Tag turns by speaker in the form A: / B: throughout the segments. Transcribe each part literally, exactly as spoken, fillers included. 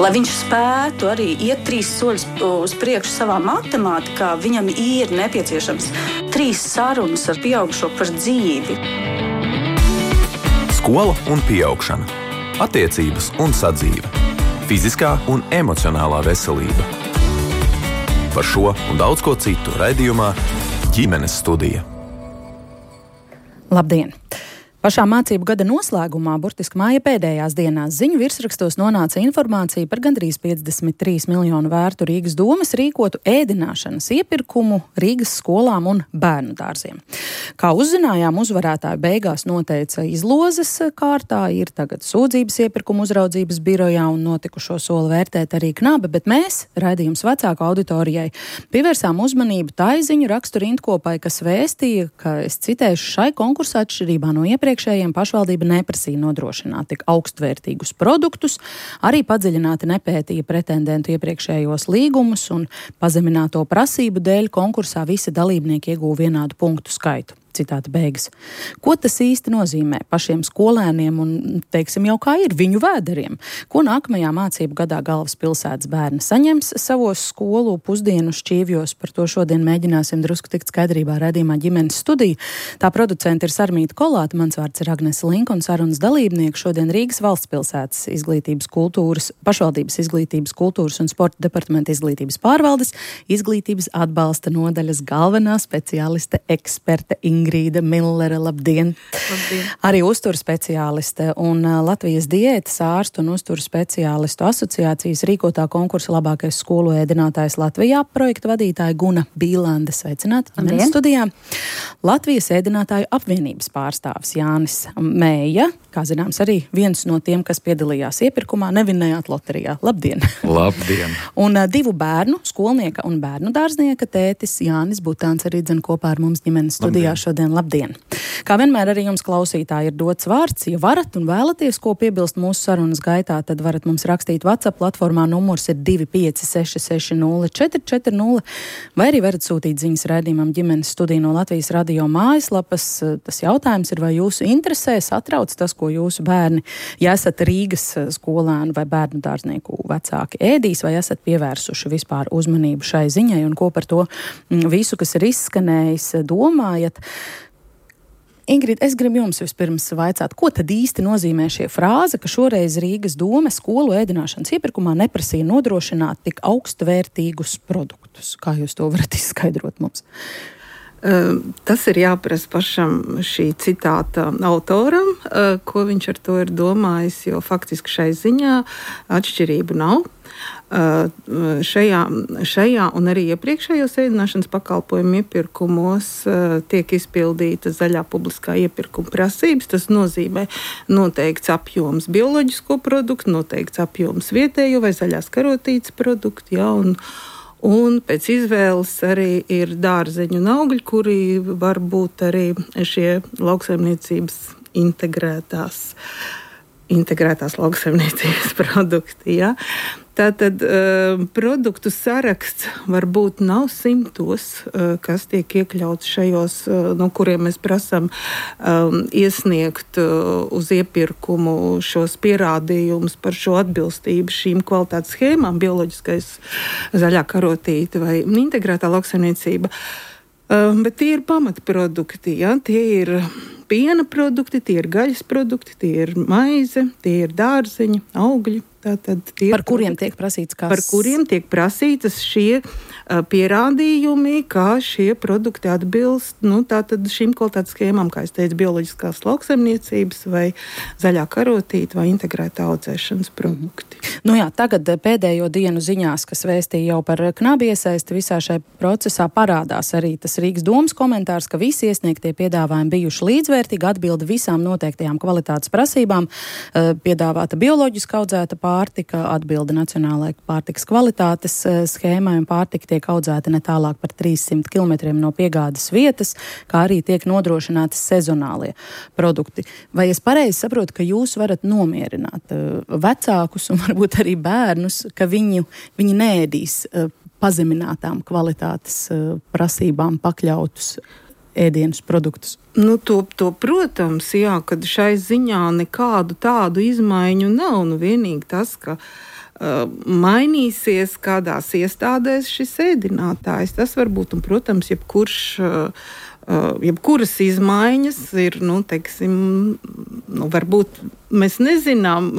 A: Lai viņš spētu arī iet trīs soļus uz priekšu savā matemātikā, viņam ir nepieciešams trīs sarunas ar pieaugušo par dzīvi.
B: Skola un pieaugšana. Attiecības un sadzīve. Fiziskā un emocionālā veselība. Par šo un daudz ko citu raidījumā Ģimenes studija.
C: Labdien! Pašā mācību gada noslēgumā, burtiski māja pēdējās dienās, ziņu virsrakstos nonāca informācija par gandrīz piecdesmit trīs miljonu vērtu Rīgas domas rīkotu ēdināšanas iepirkumu Rīgas skolām un bērnu dārziem. Kā uzzinājām, uzvarētāju beigās noteica izlozes kārtā, ir tagad sūdzības iepirkumu uzraudzības birojā un notikušo soli vērtēt arī Knabe, bet mēs, raidījums vecāku auditorijai, pievērsām uzmanību tai ziņu rakstu rindkopai, kas vēstīja, ka, es citēšu, šai konkursā atšķirībā no iepriekš Iepriekšējiem pašvaldība neprasīja nodrošināt tik augstvērtīgus produktus, arī padziļināti nepētīja pretendentu iepriekšējos līgumus un pazemināto prasību dēļ konkursā visi dalībnieki ieguva vienādu punktu skaitu. Citāta beigas. Ko tas īsti nozīmē pašiem skolēniem un, teiksim, jau kā ir viņu vēderiem? Ko nākamajā mācību gadā galvaspilsētas bērni saņems savos skolu pusdienu šķīvjos? Par to šodien mēģināsim drusku tikt skaidrībā raidījumā Ģimenes studija. Tā producenta ir Sarmīta Kolāte, mans vārds ir Agnese Linka un sarunas dalībnieki šodien Rīgas valstspilsētas izglītības kultūras, pašvaldības izglītības kultūras un sporta departamenta izglītības pārvaldes, izglītības atbalsta nodaļas galvenā speciāliste eksperte Ingrīda Millere, labdien.
D: Labdien.
C: Arī uzturu speciāliste un Latvijas diētas ārstu un uzturu speciālistu asociācijas rīkotā konkursa labākais skolu ēdinātājs Latvijā projekta vadītāja Guna Bīlande. Sveicināti Ģimenes studijā. Latvijas ēdinātāju apvienības pārstāvis Jānis Mēja, kā zināms, arī viens no tiem, kas piedalījās iepirkumā, nevinējāt loterijā. Labdien!
D: Labdien!
C: Un uh, divu bērnu, skolnieka un bērnu dārznieka tētis Jānis Butāns arī dzen kopā ar mums Ģimenes studijā šodien. Labdien! Kā vienmēr arī jums klausītāji ir dots vārds. Ja varat un vēlaties ko piebilst mūsu sarunas gaitā, tad varat mums rakstīt WhatsApp platformā, numurs ir divi pieci seši seši nulle četri četri nulle, vai arī varat sūtīt ziņas raidījumam Ģimenes studija no Latvijas radio mājaslapas. Tas jautājums ir, vai jūsu interesē satrauc tas, ko jūsu bērni, ja esat Rīgas skolēnu vai bērnu dārznieku vecāki ēdīs, vai esat pievērsuši vispār uzmanību šai ziņai un ko par to visu, kas ir izskanējis, domājat. Ingrid, es gribu jums vispirms vaicāt, ko tad īsti nozīmē šie frāze, ka šoreiz Rīgas doma skolu ēdināšanas iepirkumā neprasīja nodrošināt tik augstvērtīgus produktus. Kā jūs to varat izskaidrot mums?
E: Tas ir jāprasa pašam šī citāta autoram, ko viņš ar to ir domājis, jo faktiski šai ziņā atšķirību nav. Šajā, šajā un arī iepriekšējos ēdināšanas pakalpojumu iepirkumos tiek izpildīta zaļā publiskā iepirkuma prasības. Tas nozīmē noteikts apjoms bioloģisko produktu, noteikts apjoms vietējo vai zaļās karotītes produktu, ja, un Un pēc izvēles arī ir dārzeņu un augļi, kuri var būt arī šie lauksaimniecības integrētās, integrētās lauksaimniecības produkti. Ja? Tātad uh, produktu saraksts varbūt nav simtos, uh, kas tiek iekļauts šajos, uh, no kuriem mēs prasam um, iesniegt uh, uz iepirkumu šos pierādījumus par šo atbilstību šīm kvalitātes schēmām, bioloģiskais zaļā karotīte vai integrētā lauksaimniecība. Uh, bet tie ir pamatprodukti, ja? Tie ir piena produkti, tie ir gaļas produkti, tie ir maize, tie ir dārzeņi, augļi. Tātad tie
C: par kuriem tiek prasīts kas?
E: Par kuriem tiek prasītas šie uh, pierādījumi, kā šie produkti atbilst nu, tātad šīm kvalitātes schēmām, kā es teicu, bioloģiskās lauksaimniecības vai zaļā karotīte vai integrētā audzēšanas produkti.
C: Nu jā, tagad pēdējo dienu ziņās, kas vēstīja jau par Knabi iesaisti visā šai procesā, parādās arī tas Rīgas domas komentārs, ka visi iesniegtie piedāvājumi bijuši līdzvērtīgi, atbilda visām noteiktajām kvalitātes prasībām, uh, piedāvāta bioloģiski audzēta pārtika, atbilda nacionālajai pārtikas kvalitātes schēmai un pārtika tiek audzēta ne tālāk par trīssimt kilometriem no piegādes vietas, kā arī tiek nodrošināti sezonālie produkti. Vai es pareizi saprotu, ka jūs varat nomierināt vecākus un varbūt arī bērnus, ka viņu, viņi neēdīs pazeminātām kvalitātes prasībām pakļautus ēdienus, produktus?
E: Nu, to, to, protams, jā, kad šai ziņā nekādu tādu izmaiņu nav. Nu, vienīgi tas, ka uh, mainīsies kādās iestādēs šis ēdinātājs. Tas var būt, un, protams, jebkurš, uh, jebkuras izmaiņas ir, nu, teiksim, nu, varbūt mēs nezinām,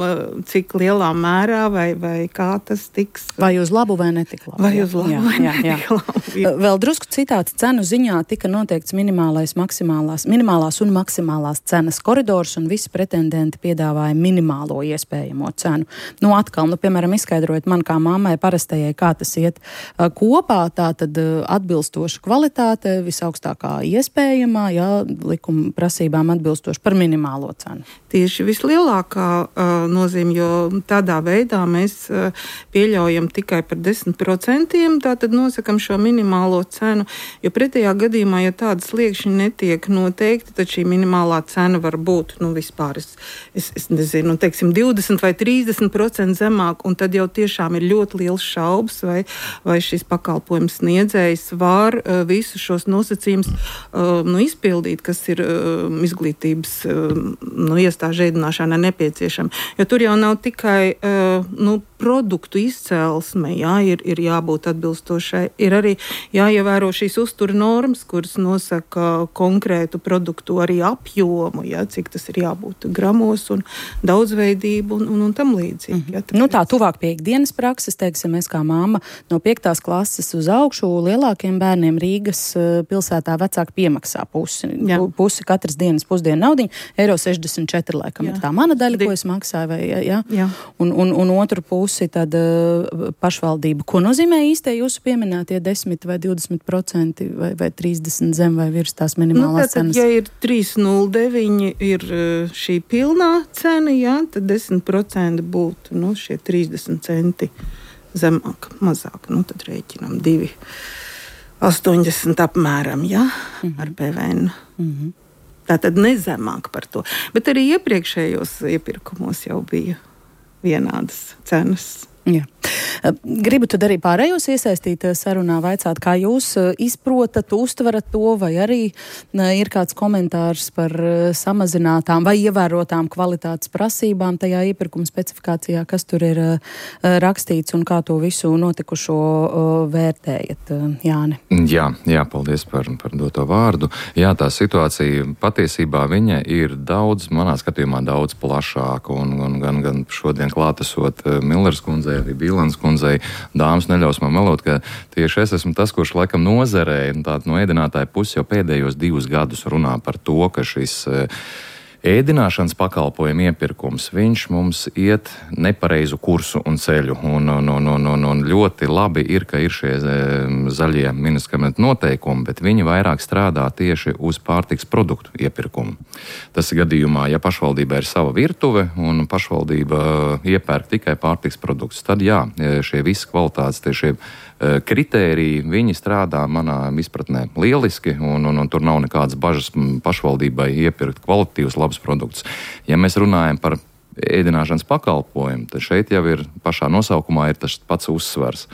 E: cik lielā mērā vai, vai kā tas tiks.
C: Vai uz labu vai netik labu.
E: Vai uz labu jā, vai jā, netik jā. labu. Jā.
C: Vēl drusku citāts cenu ziņā tika noteikts minimālais, maksimālās, minimālās un maksimālās cenas koridors, un visi pretendenti piedāvāja minimālo iespējamo cenu. Nu, atkal, nu, piemēram, izskaidrojot man kā mammai parastajai, kā tas iet kopā, tā tad atbilstoša kvalitāte, visaugstākā iespējamā, jā, likuma prasībām atbilstoši par minimālo cenu.
E: Tieši vislielākā uh, nozīme, jo tādā veidā mēs uh, pieļaujam tikai par desmit procentiem, tātad nosakam šo minimālo cenu, jo pretējā gadījumā, ja tādas sliekšņi netiek noteikti, tad šī minimālā cena var būt, nu, vispār, es, es, es nezinu, teiksim, divdesmit vai trīsdesmit procenti zemāk, un tad jau tiešām ir ļoti liels šaubas, vai, vai šis pakalpojums sniedzējs var uh, visus šos nosacījumus uh, nu, izpildīt, kas ir uh, izglītības uh, nu, iestāžu ēdināšanai nepieciešama. Jo tur jau nav tikai uh, nu, produktu izcelsme, jā, ir, ir jābūt atbilstošai. Ir arī jāievēro šīs uztura normas, kuras nosaka konkrētu produktu arī apjomu, jā, cik tas ir jābūt gramos un daudzveidību un, un, un tam līdzīgi. Mm-hmm. Jā,
C: nu tā, tuvāk pie ikdienas prakses, teiksim, es kā mamma no piektās klases uz augšu lielākiem bērniem Rīgas pilsētā vecāki piemaksā pusi. Jā. Pusi katras dienas pusdienu naudiņu, eiro sešdesmit četri laikam jā. Ir tā mana daļa, ko es maksāju, vai, jā? Jā. Un, un, un otru pusi tad uh, pašvaldība. Ko nozīmē īstie jūsu pieminētie desmit vai divdesmit procenti vai, vai trīsdesmit zem vai virs tās minimālās
E: nu,
C: cenas?
E: Ja ir trīs nulle deviņi ir šī pilnā cena, jā, tad desmit procenti būtu nu, šie trīsdesmit centi zemāk, mazāk. Nu, tad rēķinām divi astoņdesmit apmēram, jā, mm-hmm. ar P V N. Mm-hmm. Tātad nezemāk par to. Bet arī iepriekšējos iepirkumos jau bija vienādas cenas.
C: Jā. Gribu tad arī pārējos iesaistīt sarunā, vaicāt, kā jūs izprotat, uztverat to, vai arī ir kāds komentārs par samazinātām vai ievērotām kvalitātes prasībām tajā iepirkuma specifikācijā, kas tur ir rakstīts un kā to visu notikušo vērtējat, Jāni?
D: Jā, jā, paldies par, par doto vārdu. Jā, tā situācija patiesībā viņa ir daudz, manā skatījumā daudz plašāka, un, un gan, gan šodien klātesot Millers kundzei, arī Bīlans kundzei, dāmas neļaus man melot, ka tieši es esmu tas, kurš laikam nozarē, tātad no ēdinātāja puses jau pēdējos divus gadus runā par to, ka šis ēdināšanas pakalpojumu iepirkums, viņš mums iet nepareizu kursu un ceļu. Un, un, un, un, un, un ļoti labi ir, ka ir šie zaļie medikamentu noteikumi, bet viņi vairāk strādā tieši uz pārtiks produktu iepirkumu. Tas ir gadījumā, ja pašvaldībā ir sava virtuve un pašvaldība iepērk tikai pārtiks produktus, tad jā, šie visi kvalitātes, tie šie kritēriji, viņi strādā manā izpratnē lieliski, un, un, un tur nav nekādas bažas pašvaldībai iepirkt kvalitatīvus labus produktus. Ja mēs runājam par ēdināšanas pakalpojumu, tad šeit jau ir pašā nosaukumā ir tas pats uzsvars.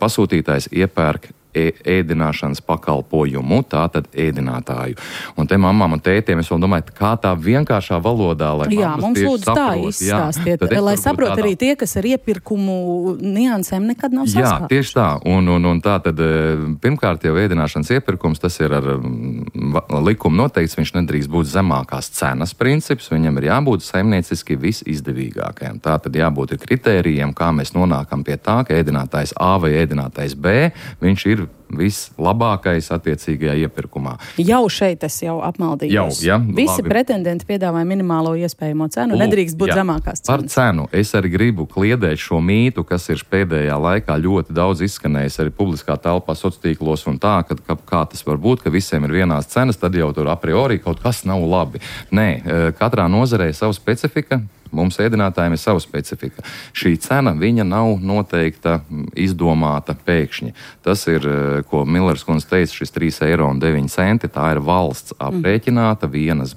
D: Pasūtītājs iepērk ēdināšanas pakalpojumu, tātad ēdinātāju. Un te mammām un tētiem es vēl domāju, kā tā vienkāršā valodā, lai
C: jā, mums lūdzu tā izstāstiet, lai saprot tādā... arī tie, kas ar iepirkumu niansēm nekad nav saskārušies.
D: Jā, tieši tā. Un, un, un tā tad pirmkārt jau ēdināšanas iepirkums, tas ir ar likumu noteikts, viņš nedrīkst būt zemākās cenas princips, viņam ir jābūt saimnieciski visizdevīgākajam. Tā tad jābūt kritērijiem, kā mēs nonākam pie tā, ka ēdinātājs A vai ēdinātājs B, viņš ir vislabākais attiecīgajā iepirkumā.
C: Jau šeit es jau apmaldījos.
D: Jau, ja,
C: Visi
D: labi.
C: Pretendenti piedāvāja minimālo iespējamo cenu, Lūk, nedrīkst būt jā, zemākās cenas.
D: Par cenu es arī gribu kliedēt šo mītu, kas ir pēdējā laikā ļoti daudz izskanējis arī publiskā telpā, sociālos tīklos un tā, ka, ka kā tas var būt, ka visiem ir vienās cenas, tad jau tur a priori kaut kas nav labi. Nē, katrā nozarē ir sava specifika. Mums ēdinātājiem ir sava specifika. Šī cena, viņa nav noteikta, izdomāta pēkšņi. Tas ir ko Millers kundze teica, šis trīs eiro un deviņi centi, tā ir valsts aprēķināta vienas,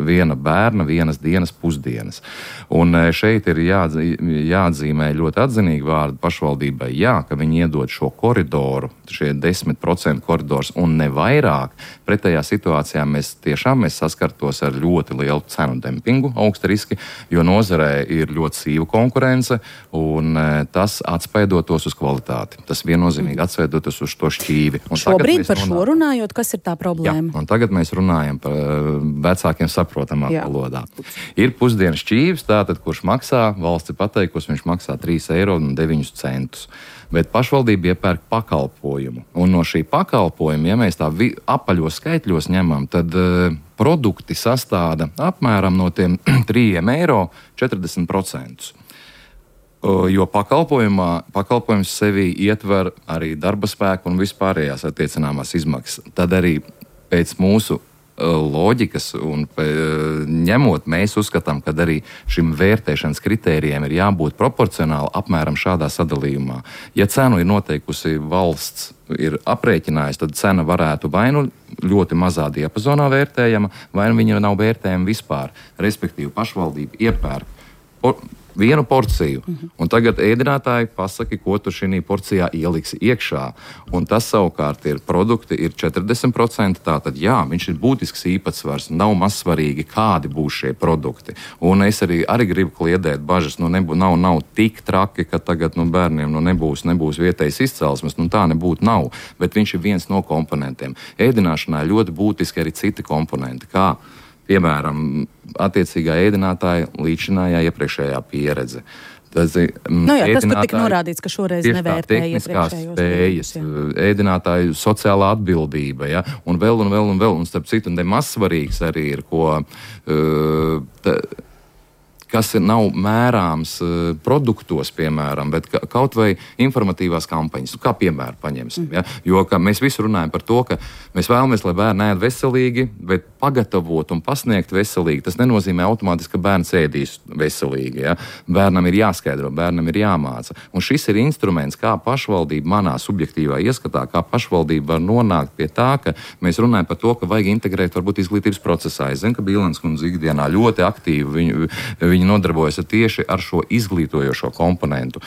D: viena bērna, vienas dienas pusdienas. Un šeit ir jādz, jāatzīmē ļoti atzinīgi vārdi pašvaldībai, jā, ka viņi iedod šo koridoru, šie desmit procentu koridors un ne vairāk. Pretējā situācijā mēs tiešām mēs saskartos ar ļoti lielu cenu dempingu, augsta riski, jo nozarē ir ļoti sīva konkurence un tas atspaidotos uz kvalitāti. Tas viennozīmīgi atsveidoties uz to šķīvi. Un
C: šobrīd par šo runājot, kas ir tā problēma?
D: Jā, un tagad mēs runājam par vecākiem saprotamā valodā. Ir pusdienas šķīvis, tātad, kurš maksā, valsts ir pateikusi, viņš maksā trīs eiro un deviņi centus. Bet pašvaldība iepērk pakalpojumu. Un no šī pakalpojuma, ja mēs tā vi, apaļos skaitļos ņemam, tad uh, produkti sastāda apmēram no tiem trīs eiro četrdesmit procentus. Jo pakalpojums sevī ietver arī darba spēku un vispārējās attiecināmās izmaksas. Tad arī pēc mūsu loģikas un ņemot, mēs uzskatām, ka arī šim vērtēšanas kritērijiem ir jābūt proporcionāli apmēram šādā sadalījumā. Ja cenu ir noteikusi valsts, ir aprēķinājusi, tad cena varētu vai nu ļoti mazā diapazonā vērtējama, vai nu viņa nav vērtējama vispār. Respektīvi, pašvaldība iepērk por, vienu porciju, uh-huh. un tagad ēdinātāji pasaki, ko tu šī porcijā ieliksi iekšā. Un tas savukārt ir produkti, ir četrdesmit procenti, tātad jā, viņš ir būtisks īpatsvars, nav mazsvarīgi, kādi būs šie produkti. Un es arī, arī gribu kliedēt bažas, nu nebū, nav, nav tik traki, ka tagad nu, bērniem nu, nebūs, nebūs vietējas izcelsmes, nu tā nebūtu nav, bet viņš ir viens no komponentiem. Ēdināšanā ļoti būtiski arī citi komponenti, kā piemēram, attiecīgā ēdinātāja līdzinājā iepriekšējā pieredze. Tas,
C: nu jā, tas tur tika norādīts, ka šoreiz nevērtēja iepriekšējos
D: spējas, ēdinātāju sociālā atbildība, ja, un vēl un vēl un vēl, un starp citu, un maz svarīgs arī ir, ko, uh, ta, kas nav mērāms uh, produktos, piemēram, bet ka, kaut vai informatīvās kampaņas, kā piemēru paņemsim. Ja? Jo mēs visi runājam par to, ka mēs vēlamies, lai bērni ēd veselīgi, bet pagatavot un pasniegt veselīgi, tas nenozīmē automātiski, ka bērns ēdīs veselīgi. Ja? Bērnam ir jāskaidro, bērnam ir jāmāca. Un šis ir instruments, kā pašvaldība manā subjektīvā ieskatā, kā pašvaldība var nonākt pie tā, ka mēs runājam par to, ka vajag integrēt varbūt izglītības procesā. Es zinu, ka Bīlens kundze ikdienā ļoti aktīvi viņu, Viņi nodarbojas tieši ar šo izglītojošo komponentu.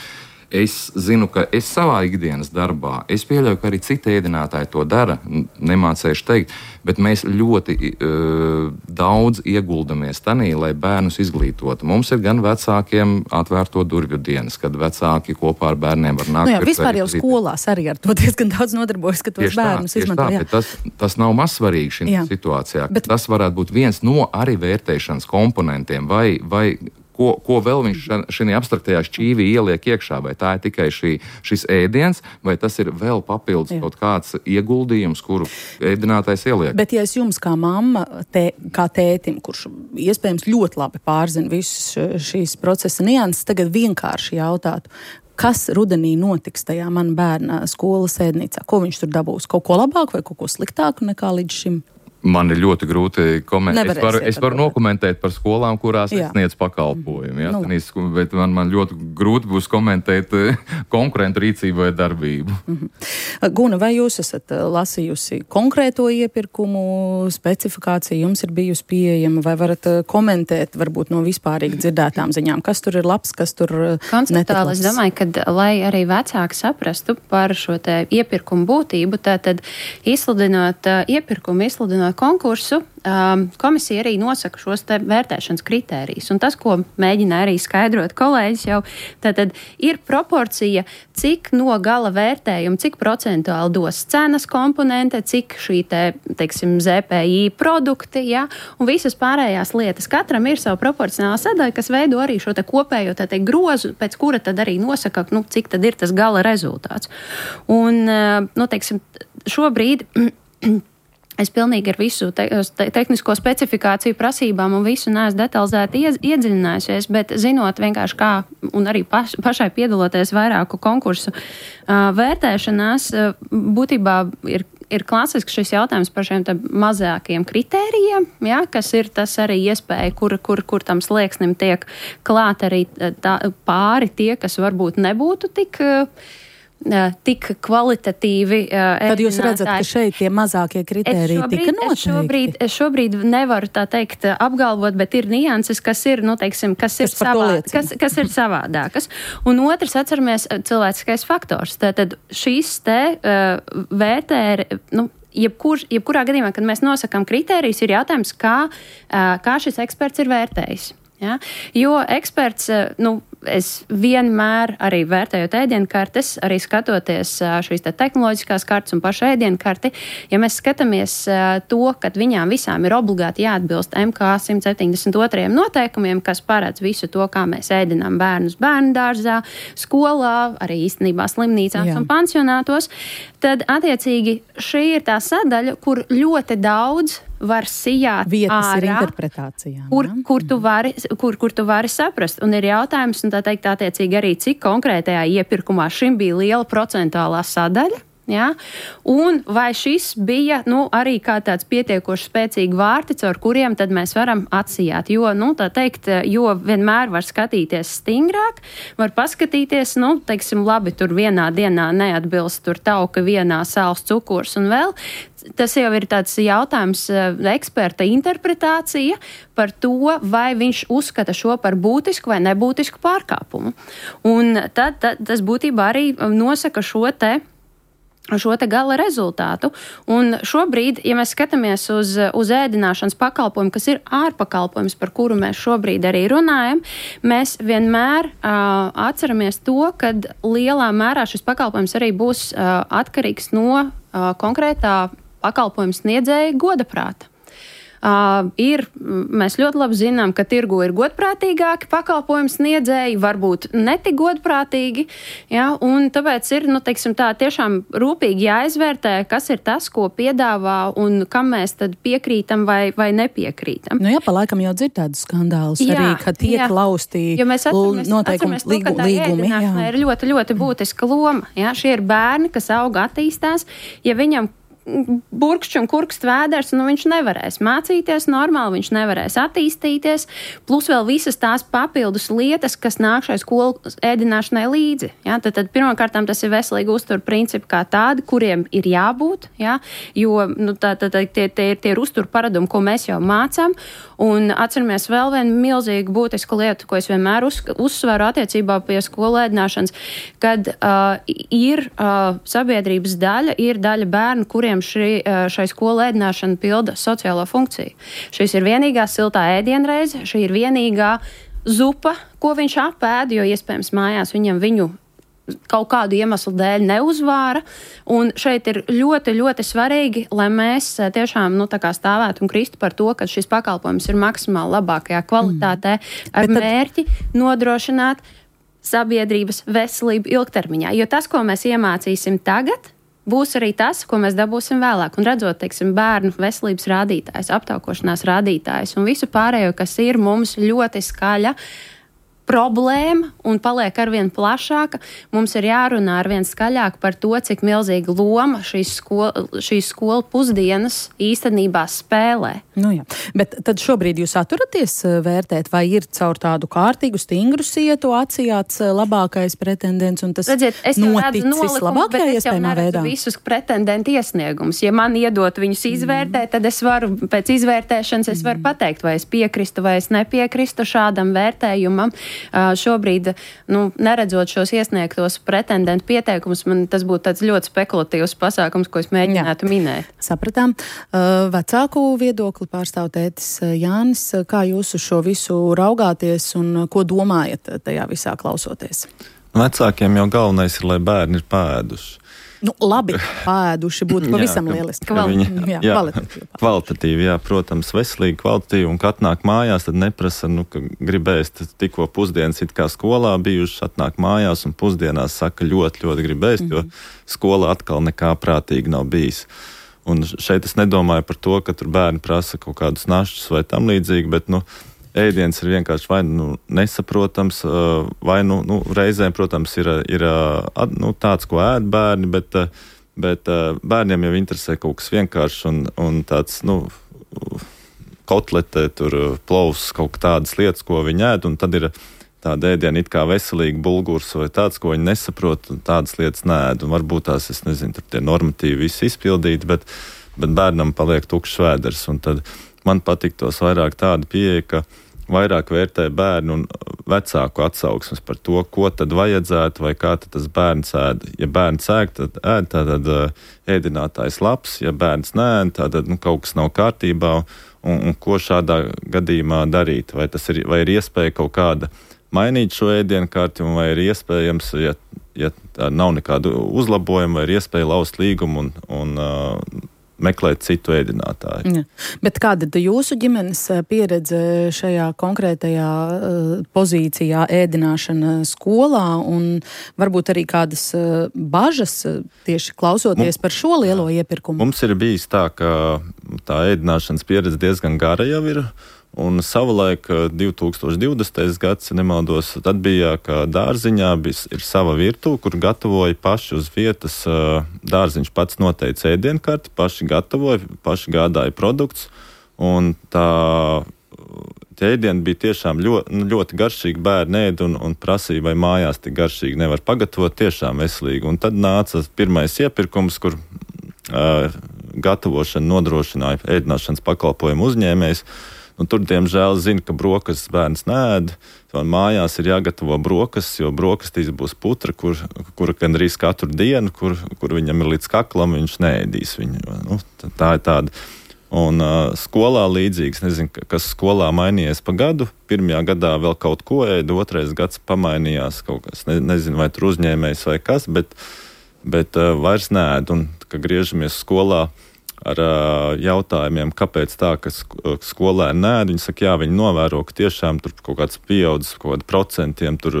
D: Es zinu, ka es savā ikdienas darbā, es pieļauju, ka arī citi ēdinātāji to dara, nemācējuši teikt, bet mēs ļoti uh, daudz ieguldamies tanī, lai bērnus izglītotu. Mums ir gan vecākiem atvērto durvju dienas, kad vecāki kopā ar bērniem var nākt.
C: Nu jā, vispār jau skolās arī ar to diezgan daudz nodarbojas, ka tos tieši bērnus tā, izmanto.
D: Tā, tas, tas nav mazsvarīgi šī situācijā. Bet tas varētu būt viens no arī vērtēšanas komponentiem vai, vai Ko, ko vēl viņš šajā abstraktajā šķīvī ieliek iekšā, vai tā ir tikai šī, šis ēdiens, vai tas ir vēl papildus Jā. kaut kāds ieguldījums, kuru ēdinātājs ieliek.
C: Bet ja es jums kā mamma, tē, kā tētim, kurš iespējams ļoti labi pārzina visas šīs procesa nianses, tagad vienkārši jautātu, kas rudenī notiks tajā man bērna skolas ēdnīcā? Ko viņš tur dabūs? Kaut ko labāku vai kaut ko sliktāku nekā līdz šim?
D: Man ir ļoti grūti komentēt. Es varu, es varu nokomentēt par skolām, kurās es sniedzu pakalpojumu. Ja? Nu. Tenīs, bet man, man ļoti grūti būs komentēt konkurentu rīcību vai darbību.
C: Mm-hmm. Guna, vai jūs esat lasījusi konkrēto iepirkumu specifikāciju? Jums ir bijusi pieejama, vai varat komentēt varbūt no vispārīgi dzirdētām ziņām? Kas tur ir labs, kas tur
F: konceptuāli, es domāju, ka, lai arī vecāki saprastu par šo te iepirkumu būtību, tātad izsludinot uh, iepirkumu, izsludinot konkursu, um, komisija arī nosaka šos te vērtēšanas kritērijus. Un tas, ko mēģina arī skaidrot kolēģis jau, tātad ir proporcija, cik no gala vērtējuma, cik procentuāli dos cenas komponente, cik šī te, teiksim, Z P I produkti, ja, un visas pārējās lietas. Katram ir savu proporcionālu sadaļu, kas veido arī šo te kopējo tā te grozu, pēc kura tad arī nosaka, nu, cik tad ir tas gala rezultāts. Un, nu, teiksim, šobrīd es pilnīgi ar visu te, te, tehnisko specifikāciju prasībām un visu neesmu detalizēti iedziļinājusies, bet zinot vienkārši kā, un arī paš, pašai piedaloties vairāku konkursu uh, vērtēšanās, uh, būtībā ir, ir klasisks šis jautājums par šiem te mazākiem kritērijiem, ja, kas ir tas arī iespēja, kur, kur, kur tam slieksnim tiek klāt arī tā, pāri tie, kas varbūt nebūtu tik uh, tik kvalitatīvi.
C: Tad jūs redzat, ka šeit tie mazākie kritēriji
F: šobrīd,
C: tika noteikti?
F: Es šobrīd, es šobrīd nevaru tā teikt apgalvot, bet ir nianses, kas ir, nu, teiksim, kas ir, savā, kas, kas ir savādākas. Un otrs, atceramies, cilvēciskais faktors. Tātad šīs te uh, vērtēri, nu, jebkur, jebkurā gadījumā, kad mēs nosakām kritērijus, ir jautājums, kā, uh, kā šis eksperts ir vērtējis. Ja? Jo eksperts, nu, es vienmēr arī vērtējot ēdienkartes, arī skatoties šīs te tehnoloģiskās kartes un pašu ēdienkarti, ja mēs skatāmies to, ka viņām visām ir obligāti jāatbilst M K simt septiņdesmit otrajiem noteikumiem, kas paredz visu to, kā mēs ēdinām bērnus bērnu dārzā, skolā, arī īstenībā slimnīcās Jā. Un pansionātos, tad attiecīgi šī ir tā sadaļa, kur ļoti daudz var sijāt
C: vietas
F: ārā,
C: ir interpretācijām,
F: kur, kur, tu vari, kur, kur tu vari saprast. Un ir jautājums, un tā teikt, attiecīgi arī, cik konkrētajā iepirkumā šim bija liela procentuālā sadaļa. Ja? Un vai šis bija, nu, arī kā tāds pietiekoši spēcīgi vārti, caur kuriem tad mēs varam atsijāt. Jo, nu, tā teikt, jo vienmēr var skatīties stingrāk, var paskatīties, nu, teiksim, labi, tur vienā dienā neatbilst tur tauka, vienā sāls cukurs un vēl. Tas jau ir tāds jautājums, eksperta interpretācija par to, vai viņš uzskata šo par būtisku vai nebūtisku pārkāpumu. Un tad, tad tas būtībā arī nosaka šo te šo te gala rezultātu. Un šobrīd, ja mēs skatāmies uz, uz ēdināšanas pakalpojumu, kas ir ārpakalpojums, par kuru mēs šobrīd arī runājam, mēs vienmēr uh, atceramies to, ka lielā mērā šis pakalpojums arī būs uh, atkarīgs no uh, konkrētā pakalpojuma sniedzēja godaprāta. Uh, ir, mēs ļoti labi zinām, ka tirgu ir godprātīgāki pakalpojumu sniedzēji, varbūt netik godprātīgi, ja, un tāpēc ir, nu, teiksim tā, tiešām rūpīgi jāizvērtē, kas ir tas, ko piedāvā un kam mēs tad piekrītam vai, vai nepiekrītam.
C: Nu jā, pa laikam jau dzird tādus skandālus jā, arī, ka tiek jā. Laustī noteikumi līgu, līgumi. Jā.
F: Ir ļoti, ļoti būtiska loma. Ja. Šie ir bērni, kas auga attīstās, ja viņam burkšķi un kurkst vēders, nu viņš nevarēs mācīties normāli, viņš nevarēs attīstīties, plus vēl visas tās papildus lietas, kas nāk šai skolu ēdināšanai līdzi. Ja? Tad, tad pirmkārtām tas ir veselīgi uztur principi kā tādi, kuriem ir jābūt, ja? Jo nu, tā, tā, tā, tie, tie, tie ir uztur paradumi, ko mēs jau mācām, un atceramies vēl vienu milzīgu būtisku lietu, ko es vienmēr uz, uzsveru attiecībā pie skolu ēdināšanas, kad uh, ir uh, sabiedrības daļa, ir daļa bērnu, kuriem Šī, šai skolu ēdināšana pilda sociālo funkciju. Šis ir vienīgā siltā ēdienreize, šī ir vienīgā zupa, ko viņš apēd, jo iespējams mājās viņam viņu kaut kādu iemeslu dēļ neuzvāra. Un šeit ir ļoti, ļoti svarīgi, lai mēs tiešām nu, tā kā stāvētu un kristu par to, ka šis pakalpojums ir maksimāli labākajā kvalitātē mm. ar tad... mērķi nodrošināt sabiedrības veselību ilgtermiņā. Jo tas, ko mēs iemācīsim tagad, būs arī tas, ko mēs dabūsim vēlāk. Un redzot, teiksim, bērnu veselības rādītājs, aptaukošanās rādītājs un visu pārējo, kas ir mums ļoti skaļa problēma un paliek arvien plašāka, mums ir jārunā arvien skaļāk par to, cik milzīga loma šīs skolu, šīs skolu pusdienas īstenībā spēlē.
C: Nu jā, bet tad šobrīd jūs atturaties vērtēt, vai ir caur tādu kārtīgu, stingru sietu atsijāts labākais pretendents un tas
F: Redziet,
C: noticis labākajā iespējamā veidā?
F: Visus pretendentu iesniegumus. Ja man iedot viņus izvērtēt, tad es varu pēc izvērtēšanas es varu pateikt, vai es piekristu vai es nepiekristu šādam vērtējumam. Uh, šobrīd, nu, neredzot šos iesniegtos pretendentu pieteikumus, man tas būtu tāds ļoti spekulatīvs pasākums, ko es mēģinātu Jā. minēt.
C: Sapratām. Uh, vecāku viedokli pārstāv tētis Jānis. Kā jūs uz šo visu raugāties un ko domājat tajā visā klausoties?
G: Vecākiem jau galvenais ir, lai bērni ir pēduši.
C: Nu, labi, pēduši būtu pavisam
G: jā,
C: lieliski.
G: Viņi, jā, jā,
C: kvalitatīvi.
G: Kvalitatīvi, jā, protams, veselīgi, kvalitatīvi, un kad atnāk mājās, tad neprasa, nu, ka gribēs tikko pusdienas it kā skolā bijušas, atnāk mājās un pusdienās saka ļoti, ļoti gribēs, mm-hmm. jo skola atkal nekā prātīgi nav bijis. Un šeit es nedomāju par to, ka tur bērni prasa kaut kādus našķus vai tam līdzīgi, bet, nu, ēdiens ir vienkārši vai nu nesaprotams, vai nu, nu reizēm, protams, ir, ir nu, tāds, ko ēd bērni, bet, bet bērniem jau interesē kaut kas vienkāršs un, un tāds, nu, kotlete, tur plovs, kaut tādas lietas, ko viņi ēd, un tad ir tāda ēdiena it kā veselīga bulgurs vai tāds, ko viņi nesaprot, un tādas lietas nēd. Un varbūt tās, es nezinu, tur tie normatīvi visi izpildīti, bet, bet bērnam paliek tukšs vēders. Un tad man patiktos vairāk tāda pieeja, ka vairāk vērtē bērnu un vecāku atsauksmes par to, ko tad vajadzētu vai kā tad tas bērns ēd. Ja bērns ēd, tad ēd, tad ēdinātājs labs, ja bērns neēd, tad nu, kaut kas nav kārtībā, un, un ko šādā gadījumā darīt. Vai tas ir, vai ir iespēja kaut kāda mainīt šo ēdienkarti, vai ir iespējams, ja, ja nav nekādu uzlabojumu, vai ir iespēja laust līgumu un, un uh, meklēt citu ēdinātāju.
C: Ja. Bet kāda ir jūsu ģimenes pieredze šajā konkrētajā uh, pozīcijā ēdināšana skolā un varbūt arī kādas uh, bažas tieši klausoties Mums, par šo lielo jā. iepirkumu?
G: Mums ir bijis tā, ka tā ēdināšanas pieredze diezgan gara jau ir. Un savulaik divi tūkstoši divdesmitais gads, ja nemaldos, tad bija, ka dārziņā bija, ir sava virtuve, kur gatavoja paši uz vietas. Dārziņš pats noteica ēdienkarti, paši gatavoja, paši gādāja produktus. Un tā ēdiena bija tiešām ļoti, ļoti garšīga, bērni ēd un, un prasīja, vai mājās tik garšīgi nevar pagatavot, tiešām veselīgi. Un tad nāca pirmais iepirkums, kur uh, gatavošana nodrošināja ēdināšanas pakalpojumu uzņēmējs. Un tur, diemžēl, zina, ka brokastis bērns neēd. Mājās ir jāgatavo brokastis, jo brokastīs būs putra, kur, kur gandrīz katru dienu, kur, kur viņam ir līdz kaklam, viņš neēdīs viņu. Nu, tā ir tāda. Un uh, skolā līdzīgs, nezinu, kas skolā mainījies pa gadu. Pirmajā gadā vēl kaut ko ēda, otrais gads pamainījās kaut kas. Ne, nezinu, vai tur uzņēmējs vai kas, bet, bet uh, vairs neēd. Un, ka griežamies skolā ar uh, jautājumiem, kāpēc tā, ka skolēni nēd. Viņi saka, jā, viņi novēro, ka tiešām tur kaut kāds pieaudzis, kaut kādi procentiem, tur,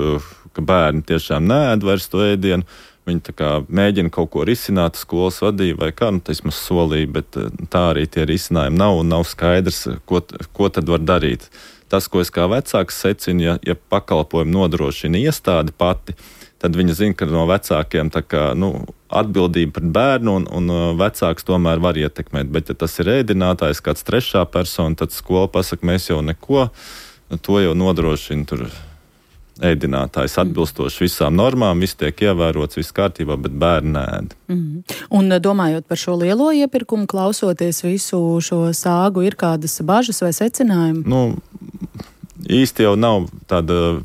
G: ka bērni tiešām nēd vairs to ēdienu. Viņi tā kā mēģina kaut ko risināt, skolas vadība vai kā, nu, tas mums solīja, bet tā arī tie risinājumi nav un nav skaidrs, ko, ko tad var darīt. Tas, ko es kā vecāks secinu, ja, ja pakalpojumu nodrošina iestāde pati, tad viņi zina, ka no vecākiem tā kā, nu, atbildība pret bērnu un, un vecāks tomēr var ietekmēt. Bet, ja tas ir ēdinātājs, kāds trešā persona, tad skola pasaka, mēs jau neko, to jau nodrošina tur ēdinātājs atbilstoši visām normām, viss tiek ievērots, viss kārtībā, bet bērni ēd.
C: Mm. Un domājot par šo lielo iepirkumu, klausoties visu šo sāgu, ir kādas bažas vai secinājumi?
G: Nu, īsti jau nav tāda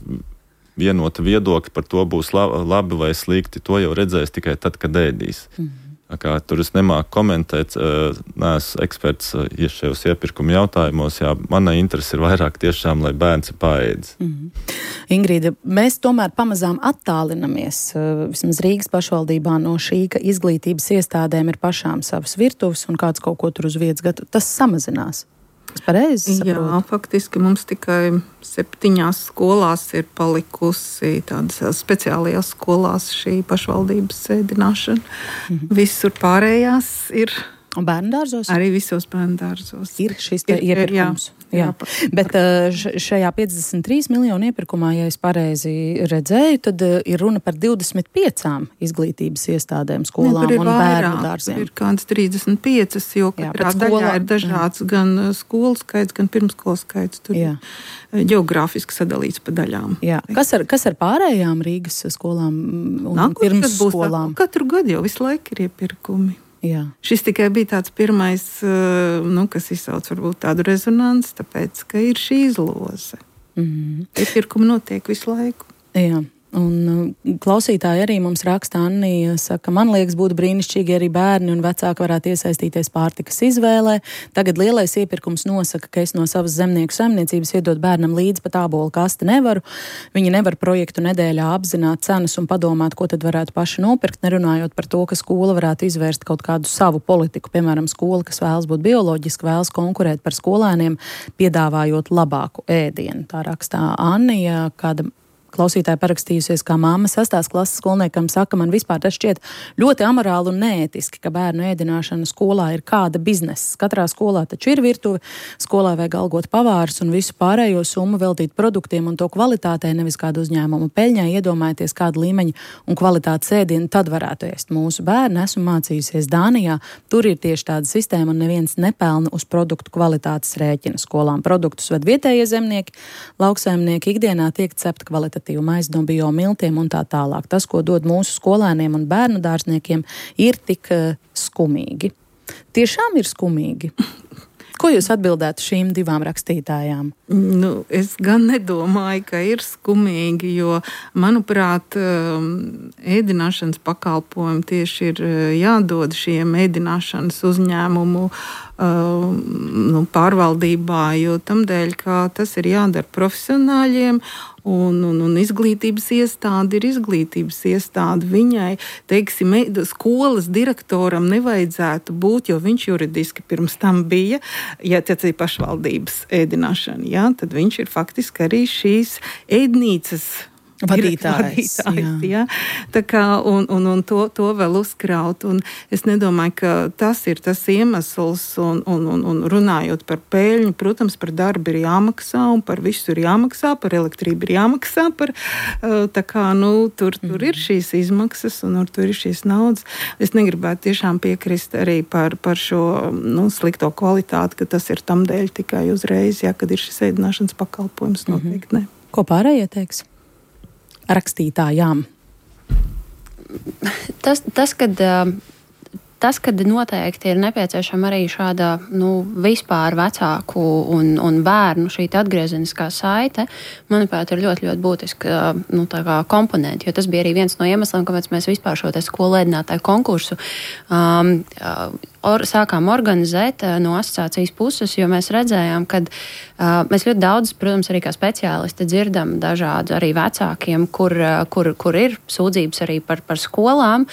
G: vienota viedokļa par to būs labi vai slikti. To jau redzēs tikai tad, kad ēdīs. Mm. Kā, tur es nemāku komentēt, neesmu eksperts šajos iepirkuma jautājumos. Jā, mana interese ir vairāk tiešām, lai bērns ir paēdis.
C: Mm. Ingrīda, mēs tomēr pamazām attālinamies vismaz Rīgas pašvaldībā no šī, ka izglītības iestādēm ir pašām savas virtuves un kāds kaut ko tur uz vietas gatavo. Tas samazinās. Es pareizi saprotu?
E: Jā, faktiski mums tikai septiņās skolās ir palikusi tādas speciālajās skolās šī pašvaldības ēdināšana. Mm-hmm. Visur pārējās ir.
C: Un bērndārzos?
E: Arī visos bērndārzos.
C: Ir šis te ir, iepirkums. Jā, jā. jā. Bet šajā piecdesmit trīs miljonu iepirkumā, ja es pareizi redzēju, tad ir runa par divdesmit piecām izglītības iestādēm, skolām ne, un bērnu dārziem.
E: Ir kāds trīsdesmit piecas, jo katrā daļā ir dažāds jā. gan skolu skaits, gan pirmskolu skaits. Tur jā. Geogrāfiski sadalīts pa daļām.
C: Jā. Kas ar, kas ar pārējām Rīgas skolām un Nākot, pirmsskolām?
E: Katru gadu jau visu laiku ir iepirkumi.
C: Jā.
E: Šis tikai bija tāds pirmais, nu, kas izsauc varbūt tādu rezonanci, tāpēc, ka ir šī izloze. Mm. Iepirkumi notiek visu laiku.
C: Jā. Un klausītāji arī mums raksta, Annija saka, man liekas, būtu brīnišķīgi, ja arī bērni un vecāki varētu iesaistīties pārtikas izvēlē. Tagad lielais iepirkums nosaka, ka es no savas zemnieku saimniecības iedot bērnam līdzi pat ābolu kasti nevaru. Viņi nevar projektu nedēļā apzināt cenas un padomāt, ko tad varētu paši nopirkt, nerunājot par to, ka skola varētu izvērst kaut kādu savu politiku. Piemēram, skola, kas vēlas būt bioloģiski, vēlas konkurēt par skolēniem, piedāvājot labāku ēdienu. Tā rakstā Annija, kāda klausītāja parakstījusies, kā māma sastās klases skolniekam saka, man vispār tas šķiet ļoti amorāli un neētiski, ka bērnu ēdināšana skolā ir kāda biznesa. Katrā skolā taču ir virtuve, skolā vajag algot pavārus un visu pārējo summu veltīt produktiem un to kvalitātei, nevis kādu uzņēmumu peļņai. Iedomājieties, kādu līmeņu un kvalitātes ēdienu tad varētu ēst mūsu bērni. Esmu mācījusies Dānijā, tur ir tieši tāda sistēma un neviens nepelna uz produktu kvalitātes rēķina. Skolām produktus ved vietējie zemnieki, lauksaimnieki, ikdienā tiek cepta kvalitatīva maize no bio miltiem un tā tālāk. Tas, ko dod mūsu skolēniem un bērnu dārzniekiem, ir tik uh, skumīgi. Tiešām ir skumīgi. Ko jūs atbildētu šīm divām rakstītājām?
E: Nu, es gan nedomāju, ka ir skumīgi, jo, manuprāt, ēdināšanas pakalpojumi tieši ir jādod šiem ēdināšanas uzņēmumu nu, pārvaldībā, jo tamdēļ, ka tas ir jādara profesionāļiem, un, un, un izglītības iestāde ir izglītības iestāde. Viņai, teiksim, skolas direktoram nevajadzētu būt, jo viņš juridiski pirms tam bija, ja tas ir pašvaldības ēdināšana, jā, tad viņš ir faktiski arī šīs ēdnīcas
C: vadītājs.
E: vadītājs jā. Tā kā, un, un, un to, to vēl uzkraut. Un es nedomāju, ka tas ir tas iemesls, un, un, un, un runājot par peļņu, protams, par darbu ir jāmaksā, un par visu ir jāmaksā, par elektrību ir jāmaksā, par, tā kā, nu, tur, tur ir šīs izmaksas, un tur ir šīs naudas. Es negribētu tiešām piekrist arī par, par šo, nu, slikto kvalitāti, ka tas ir tam dēļ tikai uzreiz, jā, kad ir šis ēdināšanas pakalpojums, noteikti ne.
C: Ko pārējie teiks? Rakstītājām.
F: Tas, tas, kad, tas, kad noteikti ir nepieciešama arī šāda nu, vispār vecāku un, un bērnu šī atgriezeniskā saite, manuprāt, ir ļoti, ļoti būtiska nu, komponenti, jo tas bija arī viens no iemesliem, kāpēc mēs vispār šo skolu ēdinātāju konkursu um, or, sākām organizēt no asociācijas puses, jo mēs redzējām, ka uh, mēs ļoti daudz, protams, arī kā speciālisti dzirdam dažādu arī vecākiem, kur, kur, kur ir sūdzības arī par, par skolām,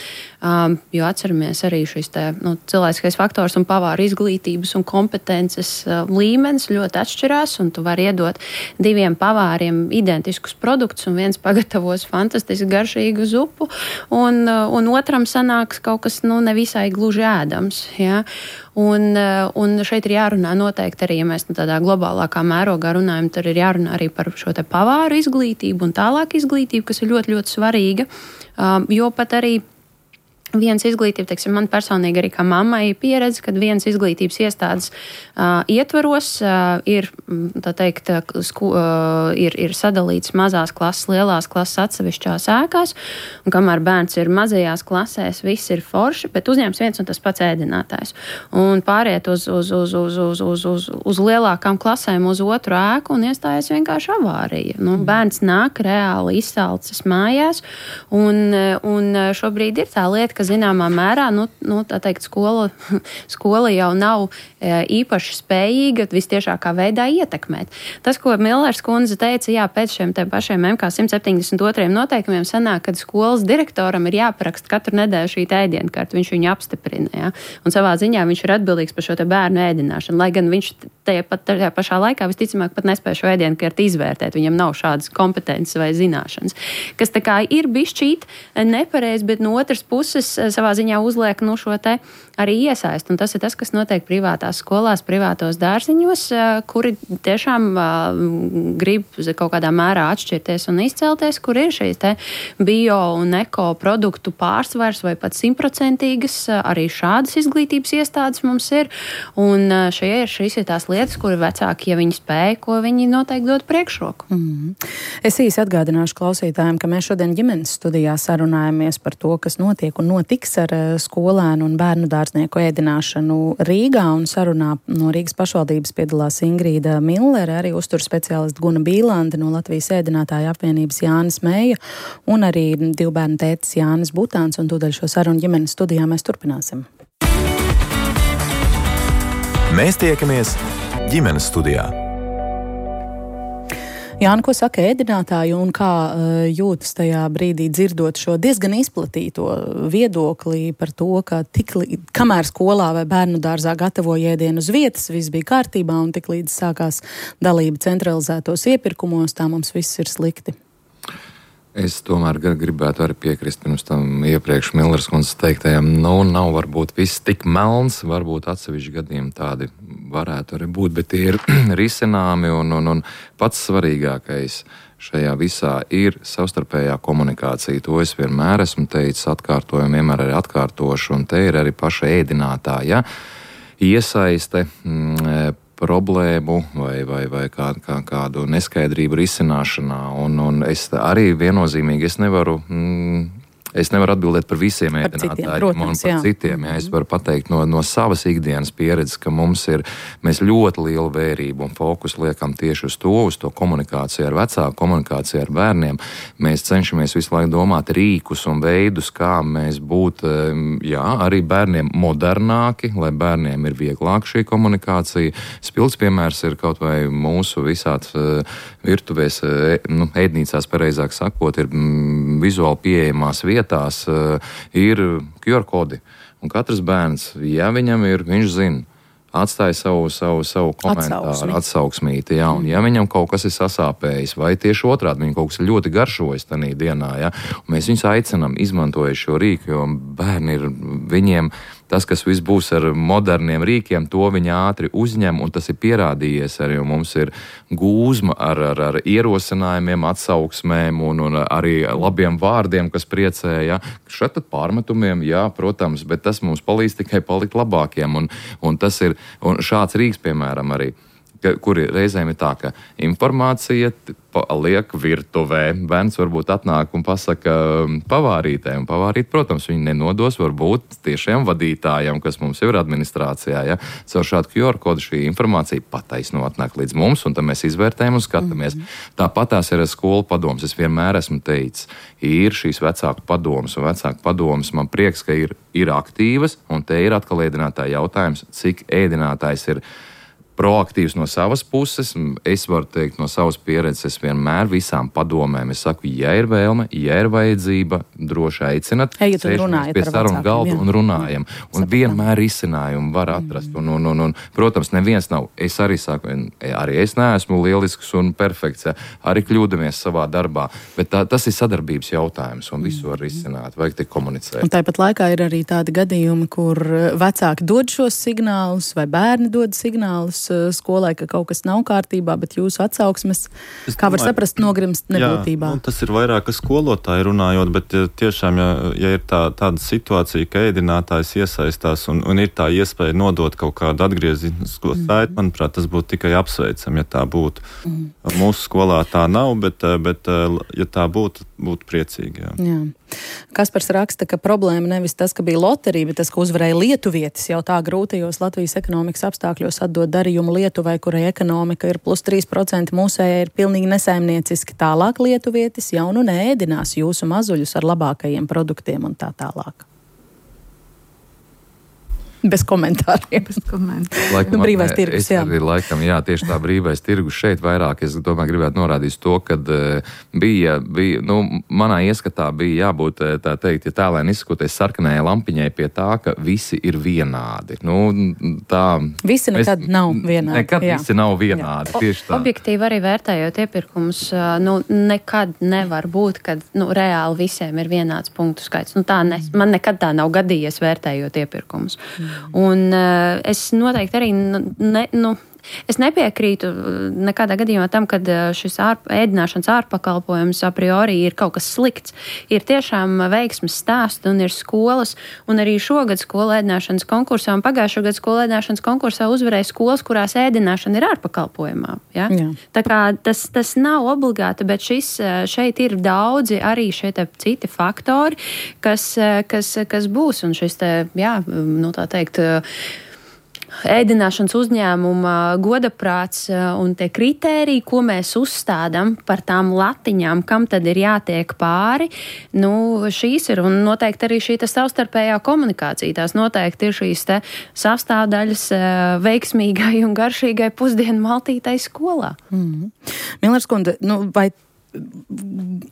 F: um, jo atceramies arī šis te, nu, cilvēciskais faktors un pavāru izglītības un kompetences uh, līmenis ļoti atšķirās, un tu vari iedot diviem pavāriem identiskus produktus, un viens pagatavos fantastiski garšīgu zupu, un, uh, un otram sanāks kaut kas nu, nevisai gluži ēdams. Ja? Un, un šeit ir jārunā noteikti arī, ja mēs nu, tādā globālākā mērogā runājam, tad ir jārunā arī par šo te pavāru izglītību un tālāk izglītību, kas ir ļoti, ļoti svarīga, um, jo pat arī viens izglītība, teiksim, man personīgi arī kā mammai pieredze, kad viens izglītības iestādes uh, ietvaros uh, ir, tā teikt, sku, uh, ir, ir sadalīts mazās klases, lielās klases atsevišķās ēkās, un kamēr bērns ir mazajās klasēs, viss ir forši, bet uzņēms viens un tas pats ēdinātājs. Un pāriet uz, uz, uz, uz, uz, uz, uz, uz lielākām klasēm, uz otru ēku un iestājas vienkārši avārija. Nu, bērns nāk reāli izsalcis mājās, un, un šobrīd ir tā lieta, ka zināmā mērā, nu, nu tā teikt, skola, skola jau nav e, īpaši spējīga vistiešākā veidā ietekmēt. Tas, ko Millers kundze teica, jā, pēc šiem te pašiem M K simt septiņdesmit otriem noteikumiem sanāk, kad skolas direktoram ir jāparakst katru nedēļu šī ēdienkarta, viņš viņu apstiprina, jā, un savā ziņā viņš ir atbildīgs par šo te bērnu ēdināšanu, lai gan viņš tajā, pat, tajā pašā laikā visticamāk pat nespēja šo ēdienkartu izvērtēt, viņam nav šādas kompetences vai zināšanas, kas tā kā ir bišķīt nepareizi, bet no otras puses savā ziņā uzliek nu, šo te arī iesaist. Un tas ir tas, kas notiek privātās skolās, privātos dārziņos, kuri tiešām uh, grib kaut kādā mērā atšķirties un izcelties, kur ir šīs te bio un eko produktu pārsvars vai pat simtprocentīgas. Arī šādas izglītības iestādes mums ir. Un šie ir šīs ir tās lietas, kuri vecāki, ja viņi spēj, ko viņi noteikti dod priekšroku.
C: Mm. Es īsi atgādināšu klausītājiem, ka mēs šodien ģimenes studijā sarunājamies par to, kas notiek un notiks ar skolēnu un bērnu dārznieku ēdināšanu Rīgā, un sarunā no Rīgas pašvaldības piedalās Ingrīda Millere, arī uzturu speciālista Guna Bīlande no Latvijas ēdinātāju apvienības Jānis Mēja un arī divu bērnu tētis Jānis Butāns, un tūdaļ šo sarunu ģimenes studijā mēs turpināsim.
B: Mēs tiekamies ģimenes studijā.
C: Jāni, ko saka ēdinātāji un kā uh, jūtas tajā brīdī dzirdot šo diezgan izplatīto viedokli par to, ka tik, kamēr skolā vai bērnu dārzā gatavoja ēdienu uz vietas, viss bija kārtībā, un tik līdz sākās dalība centralizētos iepirkumos, tā mums viss ir slikti?
D: Es tomēr gribētu arī piekrist pirms tam iepriekš Millers kundzes teiktajam, nu, nav varbūt viss tik melns, varbūt atsevišķi gadījumi tādi varētu arī būt, bet tie ir risināmi un, un, un pats svarīgākais šajā visā ir savstarpējā komunikācija. To es vienmēr esmu teicis, atkārtoju, vienmēr arī atkārtošu, un te ir arī paša ēdinātāja iesaiste, mm, problēmu vai, vai, vai kā, kā, kādu neskaidrību risināšanā. Un, un es arī viennozīmīgi es nevaru, mm, es nevaru atbildēt par visiem ēdinātājiem un par jā. citiem. Jā, es varu pateikt no, no savas ikdienas pieredzes, ka mums ir, mēs ļoti lielu vērību un fokusu liekam tieši uz to, uz to komunikāciju ar vecāku, komunikāciju ar bērniem. Mēs cenšamies visu laiku domāt rīkus un veidus, kā mēs būt, jā, arī bērniem modernāki, lai bērniem ir vieglāk šī komunikācija. Spilgts piemērs ir kaut vai mūsu visāds virtuvēs, nu, ēdnīcās, pareizāk sakot, ir mm, vizuāli pieejamās vietas, tās uh, ir Q R kodi. Un katrs bērns, ja viņam ir, viņš zina, atstāja savu, savu, savu komentāru, Atsauksmi. atsauksmīti, jā, un ja viņam kaut kas ir sasāpējis, vai tieši otrādi, viņam kaut kas ir ļoti garšojis tanī dienā, jā, un mēs viņus aicinam izmantojot šo rīku, jo bērni ir, viņiem tas, kas viss būs ar moderniem rīkiem, to viņi ātri uzņem, un tas ir pierādījies arī, un mums ir gūzma ar, ar, ar ierosinājumiem, atsauksmēm un, un arī labiem vārdiem, kas priecē, ja. Šeit tad pārmetumiem, jā, protams, bet tas mums palīdz tikai palikt labākiem, un, un tas ir, un šāds rīks, piemēram, arī, kuri reizēm ir tā, ka informācija liek virtuvē. Bērns varbūt atnāk un pasaka pavārītē, un pavārīt, protams, viņi nenodos varbūt tiešiem vadītājiem, kas mums jau ir administrācijā. Ja? Caur šādu Q R kodu šī informācija pataisno atnāk līdz mums, un tad mēs izvērtējam un skatāmies. Mm-hmm. Tāpat tās ir skolu padoms. Es vienmēr esmu teicis, ir šīs vecāku padomas, un vecāku padomas man prieks, ka ir, ir aktīvas, un te ir atkal ēdinātāja jautājums, cik ēdinātājs ir proaktīvs no savas puses. Es varu teikt no savas pieredzes, es vienmēr visām padomēm, es saku, ja ir vēlme, ja ir vajadzība, droši aicinat,
C: Ejiet un runājiet
D: pie sarunu galda un runājam. Jā. Un Sapratam. Vienmēr risinājumu var atrast. Mm. Un, un, un, un, protams, neviens nav, es arī saku, arī es neesmu lielisks un perfekts, ja, arī kļūdamies savā darbā, bet tā, tas ir sadarbības jautājums un visu var risināt, vajag tik komunicēt.
C: Un tāpat laikā ir arī tādi gadījumi, kur vecāki dod šos signālus vai bērni dod signālus skolai, ka kaut kas nav kārtībā, bet jūsu atsauksmes, es kā var domāju, saprast, nogrimst nebūtībā.
G: Jā, tas ir vairāk skolotāji runājot, bet tiešām, ja, ja ir tā, tāda situācija, ka ēdinātājs iesaistās un, un ir tā iespēja nodot kaut kādu atgriezienisko saiti, mm. manuprāt, tas būtu tikai apsveicam, ja tā būtu. Mm. Mūsu skolā tā nav, bet, bet ja tā būtu, būtu priecīgi. Jā.
C: Jā. Kaspars raksta, ka problēma nevis tas, ka bija loterija, bet tas, ka uzvarēja lietuvietis jau tā grūtajos Latvijas ekonomikas apstākļos atdot darījumu Lietuvai, kurai ekonomika ir plus trīs procenti, mūsējai ir pilnīgi nesaimnieciski. Tālāk lietuvietis jau nu neēdinās jūsu mazuļus ar labākajiem produktiem un tā tālāk. Bez komentāriem. Bez
E: komentāriem.
C: Laikam, nu, brīvais tirgus,
D: es jā. Arī, laikam, jā, tieši tā brīvais tirgus šeit vairāk. Es domāju, gribētu norādīt to, ka uh, bija, bija, nu, manā ieskatā bija jābūt, tā teikt, ja tēlēni izsakoties sarkanajai lampiņai pie tā, ka visi ir vienādi. Nu, tā,
C: visi nekad mēs, nav vienādi.
D: Nekad jā. Visi nav vienādi, jā. Tieši tā.
F: Objektīvi arī vērtējot iepirkumus, nu, nekad nevar būt, kad, nu, reāli visiem ir vienāds punktu skaits. Nu, tā ne, man nekad tā nav gadījies vērtējot iepirkumus. Mm. Un uh, es noteikti arī ne, nu, es nepiekrītu nekādā gadījumā tam, ka šis ārp, ēdināšanas ārpakalpojums a priori ir kaut kas slikts. Ir tiešām veiksmes stāsti un ir skolas, un arī šogad skolu ēdināšanas konkursā un pagājušo gadu skolu ēdināšanas konkursā uzvarēja skolas, kurās ēdināšana ir ārpakalpojumā. Ja? Jā. Tā kā tas, tas nav obligāti, bet šis, šeit ir daudzi arī šeit citi faktori, kas, kas, kas būs, un šis te, jā, nu tā teikt, ēdināšanas uzņēmuma godaprāts un tie kritēriji, ko mēs uzstādām par tām latiņām, kam tad ir jātiek pāri, nu, šīs ir, un noteikti arī šī savstarpējā komunikācija, tās noteikti ir šīs te sastāvdaļas veiksmīgai un garšīgai pusdienu maltītai skolā.
C: Mm-hmm. Millers kundze, nu, vai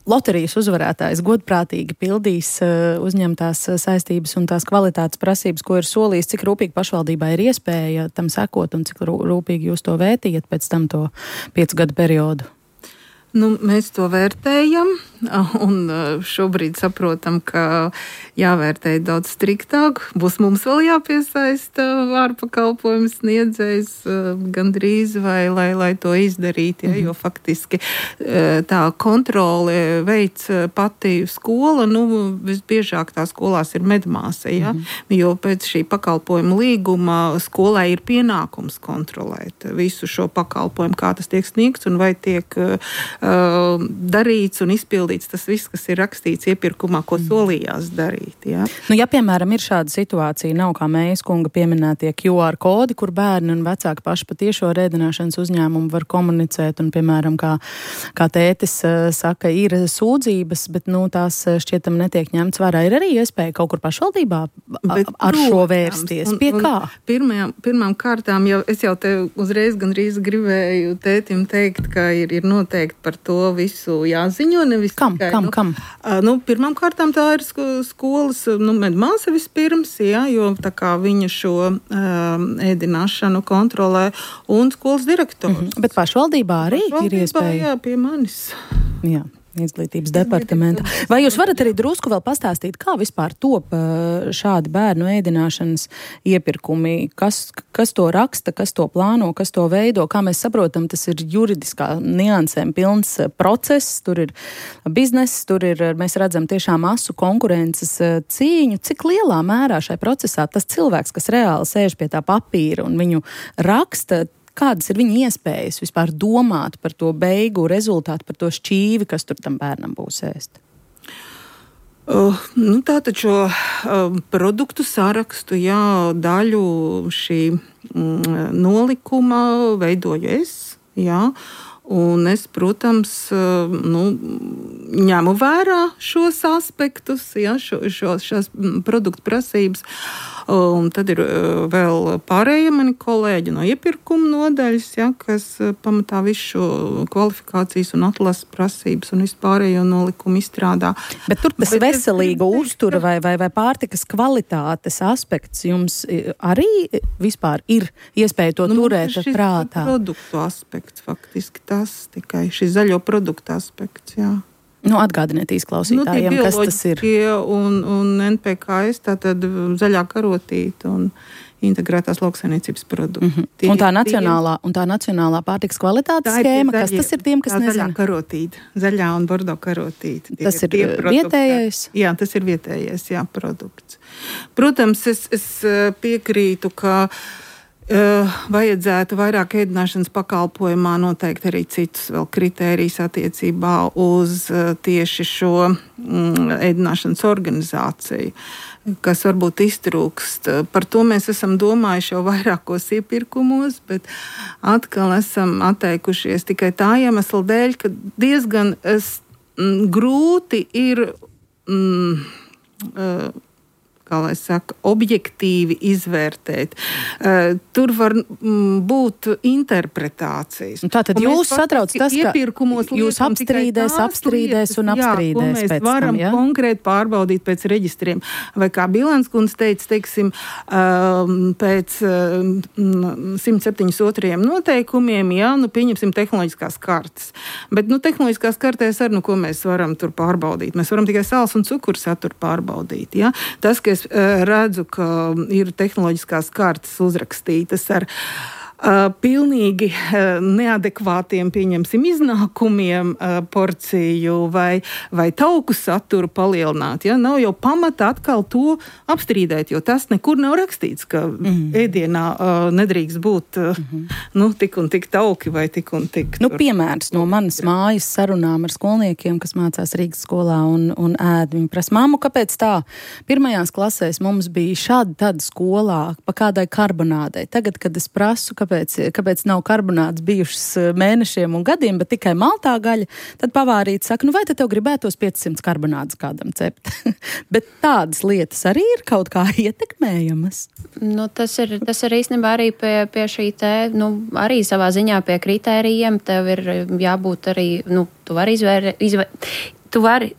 C: loterijas uzvarētājs godprātīgi pildīs uh, uzņemtās saistības un tās kvalitātes prasības, ko ir solījis, cik rūpīgi pašvaldībā ir iespēja tam sekot un cik rūpīgi jūs to vērtījat pēc tam to piecu gadu periodu?
E: Nu, mēs to vērtējam, un šobrīd saprotam, ka jāvērtē daudz striktāk. Būs mums vēl jāpiesaista ārpakalpojumu sniedzējs gandrīz, vai, lai, lai to izdarītu, ja, jo faktiski tā kontrole veic pati skola, nu, visbiežāk tā skolās ir medmāsa, ja, mm-hmm. jo pēc šī pakalpojuma līguma skolai ir pienākums kontrolēt visu šo pakalpojumu, kā tas tiek sniegts un vai tiek Uh, darīts un izpildīts tas viss, kas ir rakstīts iepirkumā, ko solījās darīt. Ja,
C: nu, ja piemēram, ir šāda situācija, nav kā Mējas kunga pieminētie Q R kodi, kur bērni un vecāki paši pa tiešo ēdināšanas uzņēmumu var komunicēt, un, piemēram, kā, kā tētis uh, saka, ir sūdzības, bet, nu, tās šķietam netiek ņemts vērā. Ir arī iespēja kaut kur pašvaldībā bet, ar protams, šo vērsties. Pie un, kā?
E: Pirmajām, pirmām kārtām, jau, es jau te uzreiz gandrīz gribēju tētim teikt, ka ir, ir noteikti par to visu jāziņo. Nevis
C: kam,
E: tikai,
C: kam,
E: nu,
C: kam?
E: Nu, pirmām kārtām tā ir skolas, nu, medmāsa vispirms, jā, jo tā kā viņa šo um, ēdināšanu kontrolē un skolas direktors.
C: Mm-hmm. Bet pašvaldībā arī pašvaldībā, ir iespēja?
E: Jā, pie manis.
C: Jā. Izglītības departamenta. Vai jūs varat arī drusku vēl pastāstīt, kā vispār top šādi bērnu ēdināšanas iepirkumi? Kas, kas to raksta, kas to plāno, kas to veido? Kā mēs saprotam, tas ir juridiskā niansēm pilns process, tur ir bizness, tur ir, mēs redzam tiešām asu konkurences cīņu. Cik lielā mērā šai procesā tas cilvēks, kas reāli sēž pie tā papīra un viņu raksta, kādas ir viņa iespējas vispār domāt par to beigu rezultātu, par to šķīvi, kas tur tam bērnam būs ēst?
E: Uh, nu, tātad šo uh, produktu sarakstu, jā, daļu šī mm, nolikuma veidoju es, jā, un es, protams, uh, nu, ņemu vērā šos aspektus, jā, šo, šo, šās produktu prasības. Un tad ir vēl pārējie mani kolēģi no iepirkuma nodaļas, ja, kas pamatā visu šo kvalifikācijas un atlases prasības un vispārējo nolikumu izstrādā.
C: Bet tur tas Bet veselīga es... uztura vai, vai, vai pārtikas kvalitātes aspekts jums arī vispār ir iespēja to nu, turēt prātā?
E: Produktu aspekts faktiski tas tikai šis zaļo produktu aspekts, jā.
C: Nu, atgādiniet izklausītājiem, nu, kas tas ir.
E: Un, un N P K S, tātad zaļā karotīte un integrētās lauksaimniecības produkti. Mm-hmm. Tie,
C: un, tā nacionālā, tie, un tā nacionālā pārtikas kvalitātes skēma, zaļie, kas tas ir tiem, kas nezina?
E: Zaļā karotīte, zaļā un bordo karotīte.
C: Tas ir, ir vietējais?
E: Jā, tas ir vietējais, jā, produkts. Protams, es, es piekrītu, ka Uh, vajadzētu vairāk ēdināšanas pakalpojumā noteikt arī citus vēl kritērijus attiecībā uz uh, tieši šo mm, ēdināšanas organizāciju, kas varbūt iztrūkst. Par to mēs esam domājuši jau vairākos iepirkumos, bet atkal esam atteikušies tikai tā iemesla dēļ, ka diezgan es, mm, grūti ir mm, uh, kā lai saka, objektīvi izvērtēt. Uh, tur var mm, būt interpretācijas.
C: Tātad jūs satrauc tas, ka jūs apstrīdēs, apstrīdēs un apstrīdēs
E: jā, mēs
C: pēc
E: varam
C: tam, ja?
E: konkrēti pārbaudīt pēc reģistriem. Vai kā Bilanskundze teica, teiksim, um, pēc um, simt septiņdesmit otrajiem noteikumiem, jā, nu pieņemsim tehnoloģiskās kartes. Bet, nu, tehnoloģiskās kartēs ar, nu, ko mēs varam tur pārbaudīt? Mēs varam tikai sāls un cukuru saturu pārbaudīt, jā. Tas, ka es redzu, ka ir tehnoloģiskās kartes uzrakstītas ar Uh, pilnīgi uh, neadekvātiem, pieņemsim, iznākumiem uh, porciju vai, vai tauku saturu palielināt. Ja? Nav jau pamata atkal to apstrīdēt, jo tas nekur nav rakstīts, ka mm. ēdienā uh, nedrīkst būt uh, mm-hmm. nu, tik un tik tauki vai tik un tik.
C: Nu, piemērs no manas mājas sarunām ar skolniekiem, kas mācās Rīgas skolā un, un ēd. Viņi prasa, māmu, kāpēc tā? Pirmajās klasēs mums bija šādi tāda skolā pa kādai karbonādei. Tagad, kad es prasu, kāpēc Kāpēc, kāpēc nav karbonāts bijušas mēnešiem un gadiem, bet tikai maltā gaļa, tad pavārīte saka, nu vai tad tev gribētos piecsimt karbonātus kādam cept? Bet tādas lietas arī ir kaut kā ietekmējamas.
F: Nu, tas ir, tas ir īstenībā arī pie, pie šī te, nu, arī savā ziņā pie kritērijiem, tev ir jābūt arī, nu, tu vari izvēr, izvēr, tu vari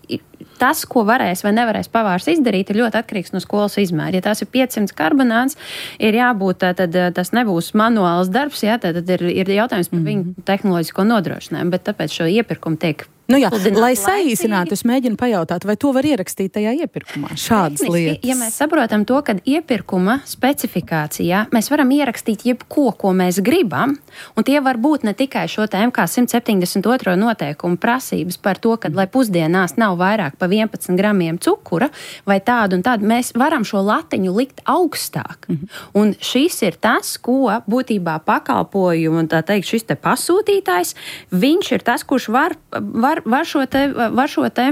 F: tas, ko varēs vai nevarēs pavārs izdarīt, ir ļoti atkarīgs no skolas izmēra. Ja tās ir piecsimt karbonāts, ir jābūt, tad tas nebūs manuāls darbs, jā, tad ir, ir jautājums par mm-hmm. viņu tehnoloģisko nodrošinājumu, bet tāpēc šo iepirkumu tiek
C: Nu jā, lai saīsinātu, es mēģinu pajautāt, vai to var ierakstīt tajā iepirkumā, šādas
F: Tehniski,
C: lietas.
F: Ja mēs saprotam to, ka iepirkuma specifikācijā mēs varam ierakstīt jebko, ko mēs gribam, un tie var būt ne tikai šo te M K simt septiņdesmit otro noteikumu prasības par to, ka, lai pusdienās nav vairāk pa vienpadsmit gramiem cukura, vai tādu un tādu, mēs varam šo latiņu likt augstāk. Mm-hmm. Un šis ir tas, ko būtībā pakalpojumu, un tā teikt, šis te pasūtītājs, viņš ir tas, kurš var, var Var, var, šo te, var šo te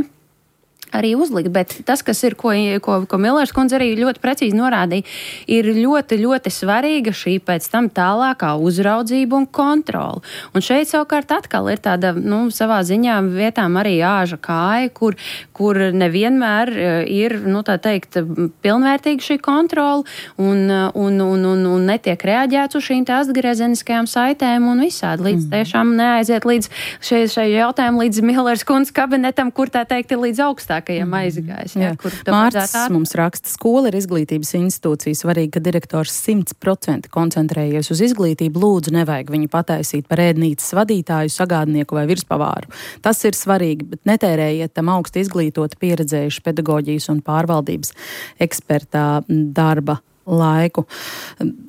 F: arī uzlikt, bet tas, kas ir, ko, ko, ko Millers kundze arī ļoti precīzi norādīja, ir ļoti, ļoti svarīga šī pēc tam tālākā uzraudzība un kontrola. Un šeit savukārt atkal ir tāda, nu, savā ziņā vietām arī āža kāja, kur, kur nevienmēr ir, nu, tā teikt, pilnvērtīga šī kontrola un, un, un, un, un netiek reaģēts uz šīm te atgriezeniskajām saitēm un visādi. Līdz mm. tiešām neaiziet līdz šai, šai jautājumu līdz Millers kundzes kabinetam, kur tā teikt ir līdz augstāk. Mm. Aizgājis, jā, kur
C: Mārcis mums raksta, skola ir izglītības institūcija, svarīgi, ka direktors simt procenti koncentrējies uz izglītību, lūdzu nevajag viņu pataisīt par ēdnīcas vadītāju, sagādnieku vai virspavāru. Tas ir svarīgi, bet netērējiet tam augsti izglītot pieredzējuši pedagoģijas un pārvaldības ekspertā darba laiku.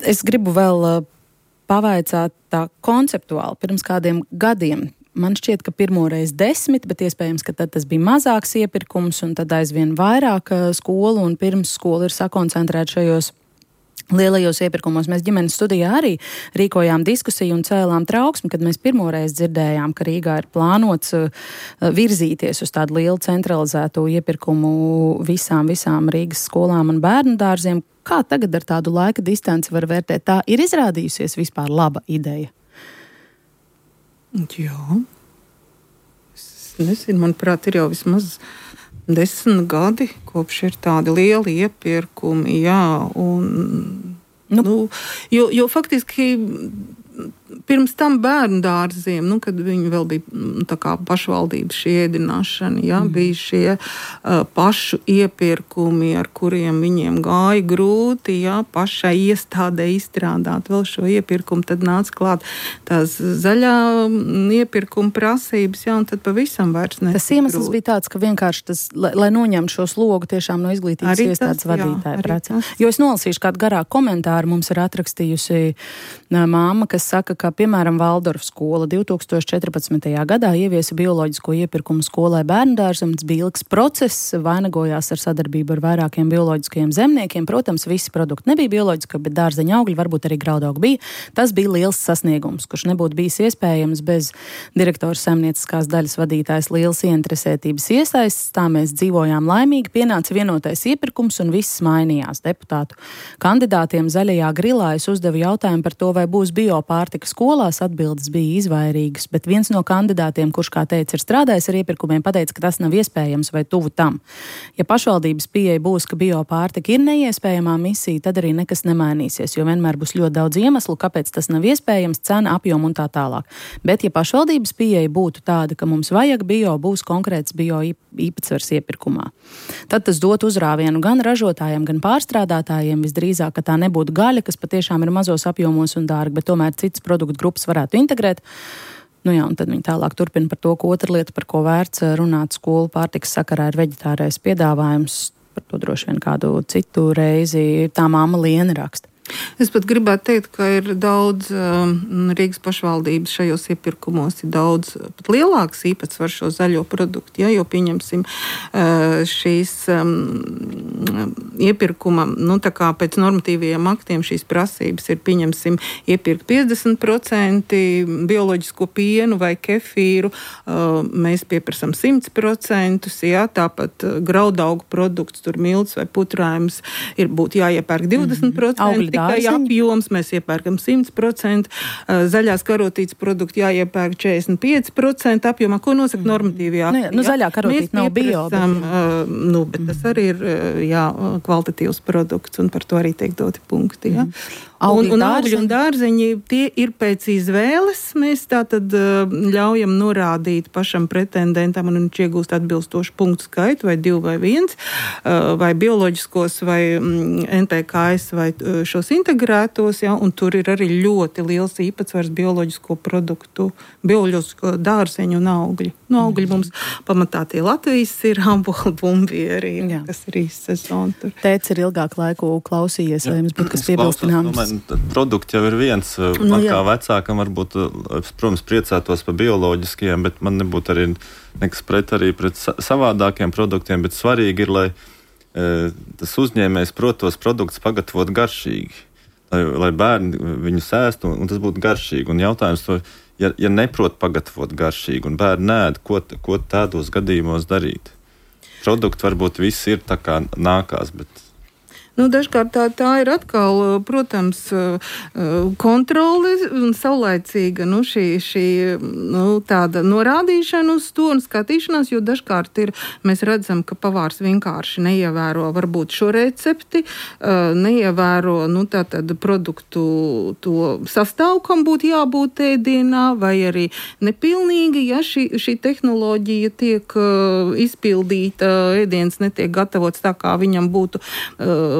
C: Es gribu vēl pavaicāt tā konceptuāli pirms kādiem gadiem. Man šķiet, ka pirmoreiz desmit, bet iespējams, ka tad tas bija mazāks iepirkums un tad aizvien vairāk skolu un pirms skola ir sakoncentrēta šajos lielajos iepirkumos. Mēs ģimenes studijā arī rīkojām diskusiju un cēlām trauksmi, kad mēs pirmoreiz dzirdējām, ka Rīgā ir plānots virzīties uz tādu lielu centralizēto iepirkumu visām, visām Rīgas skolām un bērnu dārziem. Kā tagad ar tādu laika distanci var vērtēt? Tā ir izrādījusies vispār laba ideja?
E: Jā, es nezinu, manuprāt, ir jau vismaz desmit gadi, kopš ir tādi lieli iepirkumi, jā, un, nu, nu, jo, jo faktiski pirms tam bērnu dārziem, nu, kad viņi vēl bija tā kā pašvaldības šī ēdināšana, jā, mm. bija šie uh, pašu iepirkumi, ar kuriem viņiem gāja grūti, jā, pašai iestādē izstrādāt vēl šo iepirkumu, tad nāca klāt tās zaļā iepirkuma prasības, jā, un tad pavisam vairs ne.
C: Tas iemesls grūti. Bija tāds, ka vienkārši tas, lai, lai noņemtu šo slogu tiešām no izglītības arī iestādes tas, vadītāja prācā. Jo es nolasīšu kādu garāku komentāru, mums ir atrakstījusi māma, kas saka, ka, piemēram, Valdorfa skola divtūkstoš četrpadsmitajā gadā ieviesa bioloģisko iepirkumu skolai bērndārzam. Tas bija ilgs process, vainagojās ar sadarbību ar vairākiem bioloģiskajiem zemniekiem. Protams, visi produkti nebija bioloģiski, bet dārzeņa augļi, varbūt arī graudaugi bija. Tas bija liels sasniegums, kurš nebūtu bijis iespējams bez direktora saimnieciskās daļas vadītājas lielas ieinteresētības iesaistes. Tā mēs dzīvojām laimīgi, pienāca vienotais iepirkums un viss mainījās. Deputātu kandidātiem zaļajā grilā es uzdevu jautājumu par to, vai būs biopārtika skolās, atbildes bija izvairīgas, bet viens no kandidātiem, kurš, kā teica, ir strādājis ar iepirkumiem, pateica, ka tas nav iespējams vai tuvu tam. Ja pašvaldības pieeja būs, ka biopārtika ir neiespējamā misija, tad arī nekas nemainīsies, jo vienmēr būs ļoti daudz iemeslu, kāpēc tas nav iespējams, cena, apjoma un tā tālāk. Bet, ja pašvaldības pieeja būtu tāda, ka mums vajag bio, būs konkrēts bio īpatsvars iepirkumā, tad tas dot uzrāvienu gan ražotājiem, gan pārstrādātājiem, visdrīzāk, ka tā nebūtu gaļa, kas patiešām ir mazos apjomos un dārgi, bet tomēr cits produktu grupas varētu integrēt. Nu jā, un tad viņi tālāk turpina par to, ka otra lieta, par ko vērts runāt skolu pārtikas sakarā, ir veģetārais piedāvājums. Par to droši vien kādu citu reizi tā māma Liena raksta.
E: Es pat gribētu teikt, ka ir daudz um, Rīgas pašvaldības šajos iepirkumos, ir daudz pat lielāks īpatsvars šo zaļo produktu, ja, jo pieņemsim uh, šīs um, iepirkuma, nu tā kā pēc normatīvajiem aktiem šīs prasības ir, pieņemsim, iepirkt piecdesmit procenti bioloģisko pienu vai kefīru, uh, mēs pieprasam simt procenti, ja, tāpat graudaugu produkts, tur milts vai putrājums ir būtu jāiepērk divdesmit procenti. Tikai apjoms mēs iepērkam simt procenti, zaļās karotītes produkti jāiepērk četrdesmit pieci procenti apjomā, ko nosaka normatīvajā.
C: Nu, jā, nu, zaļā karotīte nav bio. Bet...
E: Uh, nu, bet tas arī ir jā, kvalitatīvs produkts, un par to arī tiek doti punkti. Ja? Mm.
C: Augļi,
E: un, un augļi un dārzeņi, tie ir pēc izvēles. Mēs tātad uh, ļaujam norādīt pašam pretendentam, un viņš iegūst atbilstošu punktu skaitu, vai divu vai viens, uh, vai bioloģiskos, vai mm, N P K S, vai uh, šos integrētos, ja? Un tur ir arī ļoti liels īpatsvars bioloģisko produktu, bioloģisko dārzeņu un augļu. No augļu mums pamatā tie Latvijas ir amboli, bumbieri, ja, kas ir īsta sezona tur.
C: Tēts ir ilgāku laiku klausījies, vai jums būtu kas piebilstināms?
G: Produkts jau ir viens. Nu, man kā vecākam varbūt, protams, priecātos par bioloģiskajiem, bet man nebūtu arī nekas pret arī pret savādākiem produktiem, bet svarīgi ir, lai e, tas uzņēmējs prot tos produktus pagatavot garšīgi, lai, lai bērni viņus ēstu un, un tas būtu garšīgi. Un jautājums to, ja, ja neprot pagatavot garšīgi un bērni nēd, ko, ko tādos gadījumos darīt? Produkti varbūt viss ir tā kā nākās, bet
E: Nu, dažkārt tā, tā ir atkal, protams, kontrole un saulaicīga nu, šī, šī nu, tāda norādīšana uz to un skatīšanās, jo dažkārt ir, mēs redzam, ka pavārs vienkārši neievēro varbūt šo recepti, neievēro nu, tātad produktu to sastāvu, kam būtu jābūt ēdienā, vai arī nepilnīgi, ja šī, šī tehnoloģija tiek izpildīta, ēdiens netiek gatavots tā, kā viņam būtu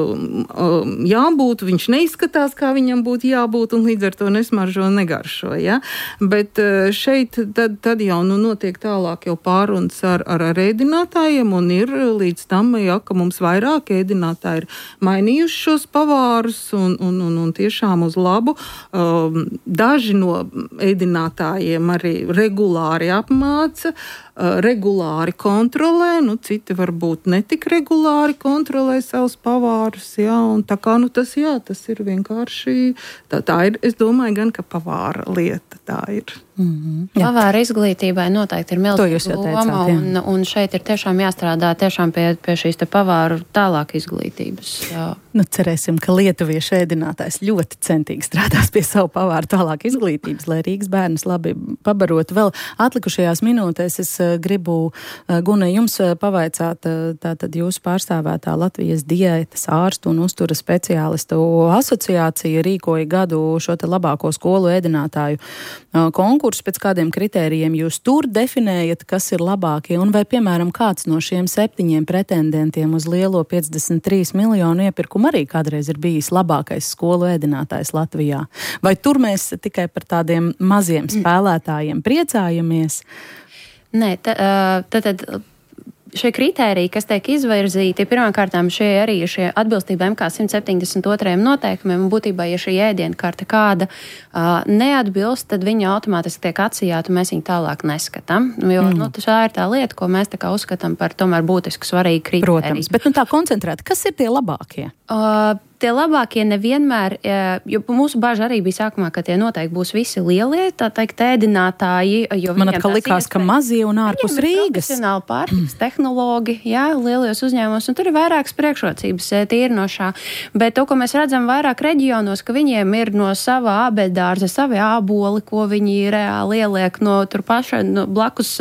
E: jābūt, viņš neizskatās, kā viņam būtu jābūt, un līdz ar to nesmaržo un negaršo. Ja? Bet šeit tad, tad jau nu, notiek tālāk jau pārunas ar, ar, ar ēdinātājiem, un ir līdz tam, ja, ka mums vairāk ēdinātāji ir mainījuši šos pavārus, un, un, un, un tiešām uz labu. Daži no ēdinātājiem arī regulāri apmāca, regulāri kontrolē, nu, citi varbūt netik regulāri kontrolē savus pavārus, jā, un tā kā, nu, tas, jā, tas ir vienkārši, tā, tā ir, es domāju, gan, ka pavāra lieta, tā ir.
F: Mm-hmm. Pavāra izglītībai noteikti ir milzīga loma, un, un šeit ir tiešām jāstrādā tiešām pie, pie šīs te pavāru tālāk izglītības. Jā.
C: Nu, cerēsim, ka lietuviešu ēdinātājs ļoti centīgi strādās pie savu pavāru tālāk izglītības, lai Rīgas bērnus labi pabarotu. Vēl atlikušajās minūtēs es gribu, Guna, jums pavaicāt, tātad jūsu pārstāvētā Latvijas diētas ārstu un uztura speciālistu asociācija rīkoja gadu šo te labāko skolu ēdinātāju konkursu, pēc kādiem kritērijiem jūs tur definējat, kas ir labākie, un vai, piemēram, kāds no šiem septiņiem pretendentiem uz lielo piecdesmit trīs miljonu iepirkumu arī kādreiz ir bijis labākais skolu ēdinātājs Latvijā? Vai tur mēs tikai par tādiem maziem spēlētājiem priecājamies?
F: Nē, tad... tad šie kritēriji, kas tiek izvirzīti, pirmkārtām šie arī šie atbilstība M K simt septiņdesmit otrajam noteikumiem, un būtībā, ja šī ēdienkarte kāda uh, neatbilst, tad viņa automātiski tiek atsijāta, un mēs viņu tālāk neskatām. Jo mm. nu, tā ir tā lieta, ko mēs tā kā uzskatām par tomēr būtisku svarīgu kritēriju.
C: Protams, bet nu tā koncentrēti, kas ir tie labākie?
F: Uh, Tie labākie nevienmēr, jo mūsu baža arī bija sākumā, ka tie noteikti būs visi lielie, tā teikt, ēdinātāji.
C: Man atkal likās, ka mazie un ārpus Rīgas.
F: Profesionāli pārtikas tehnologi, jā, lielajos uzņēmumos, un tur ir vairākas priekšrocības tīri no šā. Bet to, ko mēs redzam vairāk reģionos, ka viņiem ir no sava ābeļdārza, savi āboli, ko viņi reāli ieliek no tur paša, no blakus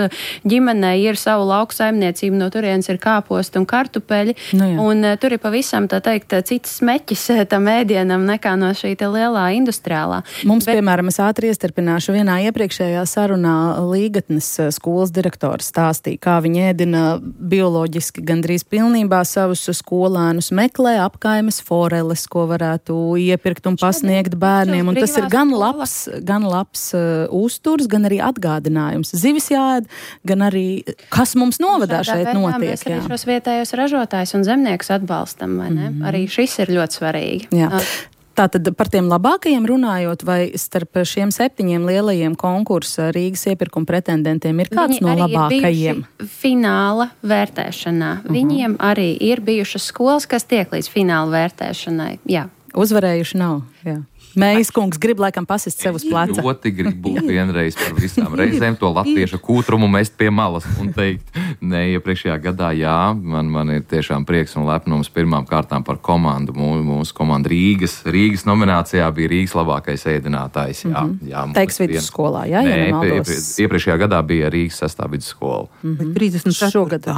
F: ģimenei ir savu lauku saimniecību, no turienes ir kāposti un kartupeļi, nu, un tur ir pavisam, tā teikt, citas smeķis tam ēdienam nekā no šī te lielā industriālā.
C: Mums, Bet... piemēram, es ātri iestarpināšu, vienā iepriekšējā sarunā Līgatnes skolas direktors stāstīja, kā viņi ēdina bioloģiski gandrīz pilnībā savus skolēnus, meklē apkaimes foreles, ko varētu iepirkt un pasniegt bērniem, un tas ir gan labs, gan labs uh, uzturs, gan arī atgādinājums. Zivis jāēd, gan arī, kas mums novadā šeit notiek.
F: Mēs arī šos vietējos ražotājus un zemniekus atbalstam, vai ne? Mm-hmm. Arī šis ir ļoti svarīgi.
C: Jā. Tātad par tiem labākajiem runājot, vai starp šiem septiņiem lielajiem konkursa Rīgas iepirkuma pretendentiem ir kāds
F: Viņi
C: no labākajiem?
F: Fināla vērtēšanā. Uh-huh. Viņiem arī ir bijušas skolas, kas tiek līdz fināla vērtēšanai. Jā.
C: Uzvarējuši nav, jā. Mējas kungs grib laikam pasist sev uz pleca.
D: Ļoti gribu vienreiz par visām reizēm to latviešu kūtrumu mest pie malas un teikt, ne, iepriekšējā gadā, jā, man, man ir tiešām prieks un lepnums pirmām kārtām par komandu. Mūsu, mūsu komanda Rīgas, Rīgas nominācijā bija Rīgas labākais ēdinātājs. Jā, mm-hmm. jā,
C: Teiks vidusskolā, jā?
D: Nē,
C: ja
D: iepriekš, iepriekšējā gadā bija Rīgas sestā vidusskola.
E: Mm-hmm. trīsdesmit
C: šogad,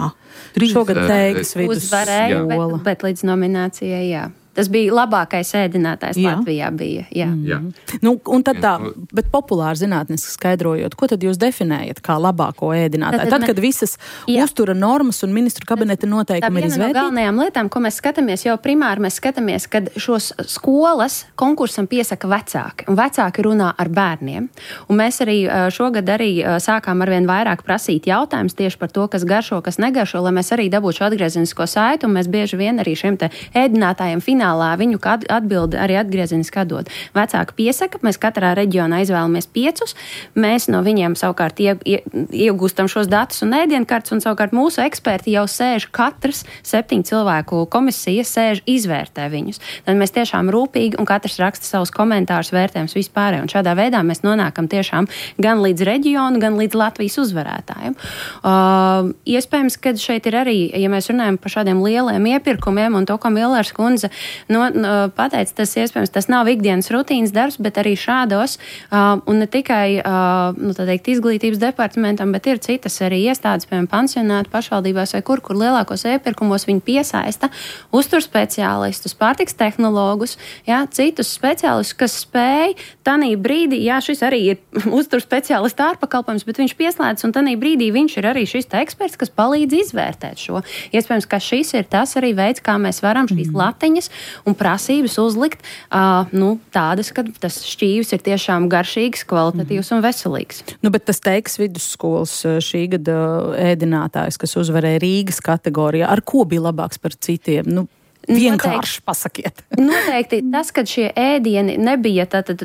C: šogad Teiks vidusskola.
F: Uzvarēja, bet, bet līdz nominācijai, jā. Tas bija labākais ēdinātājs jā. Latvijā bija. Jā.
D: Jā.
C: Nu, un tad tā, bet populāri zinātniski skaidrojot, ko tad jūs definējat kā labāko ēdinātāju? Tad, tad, kad visas jā. Uztura normas un ministru kabineta noteikumi ir izvērtīti? Tā viena no galvenajām
F: lietām, ko mēs skatāmies, jau primāri mēs skatāmies, kad šos skolas konkursam piesaka vecāki, un vecāki runā ar bērniem. Un mēs arī šogad arī sākām arvien vairāk prasīt jautājumus tieši par to, kas garšo, kas negaršo, lai mēs arī dabūtu šo atgriezenisko saiti, un mēs bieži vien arī šiem te ēdinātājiem finālā viņu atbildi arī atgriezeniski atdod. Vecāki piesaka, mēs katrā reģionā izvēlamies piecus, mēs no viņiem savukārt ie, ie, iegūstam šos datus un ēdienkartes, un savukārt mūsu eksperti jau sēž katrs septiņu cilvēku komisija, sēž izvērtē viņus. Tad mēs tiešām rūpīgi un katrs raksta savus komentārus, vērtējums vispārēj, un šādā veidā mēs nonākam tiešām gan līdz reģionu, gan līdz Latvijas uzvarētājiem. Uh, iespējams, ka šeit ir arī, ja mēs runājam par šādiem lieliem iepirkumiem, un to, ko Millers kundze No, no, pateic, tas iespējams, tas nav ikdienas rutīnas darbs, bet arī šādos, uh, un ne tikai uh, nu, teikt, izglītības departamentam, bet ir citas arī iestādes, piemēram, pansionāti pašvaldībās vai kur, kur lielākos iepirkumos viņi piesaista uzturspeciālistus, pārtiks tehnologus, jā, citus speciālistus, kas spēj tanī brīdī, jā, šis arī ir uzturspeciālista ārpakalpojums, bet viņš pieslēdz, un tanī brīdī viņš ir arī šis te eksperts, kas palīdz izvērtēt šo. Iespējams, ka šis ir tas arī veids, kā mēs varam šīs mm. latiņas un prasības uzlikt uh, nu, tādas, ka tas šķīvis ir tiešām garšīgs, kvalitatīvs un veselīgs.
C: Nu, bet tas Teiks vidusskolas šī gada ēdinātājs, kas uzvarēja Rīgas kategorijā, ar ko bija labāks par citiem? Nu, vienkārši pasakiet.
F: Noteikti tas, ka šie ēdieni nebija, tātad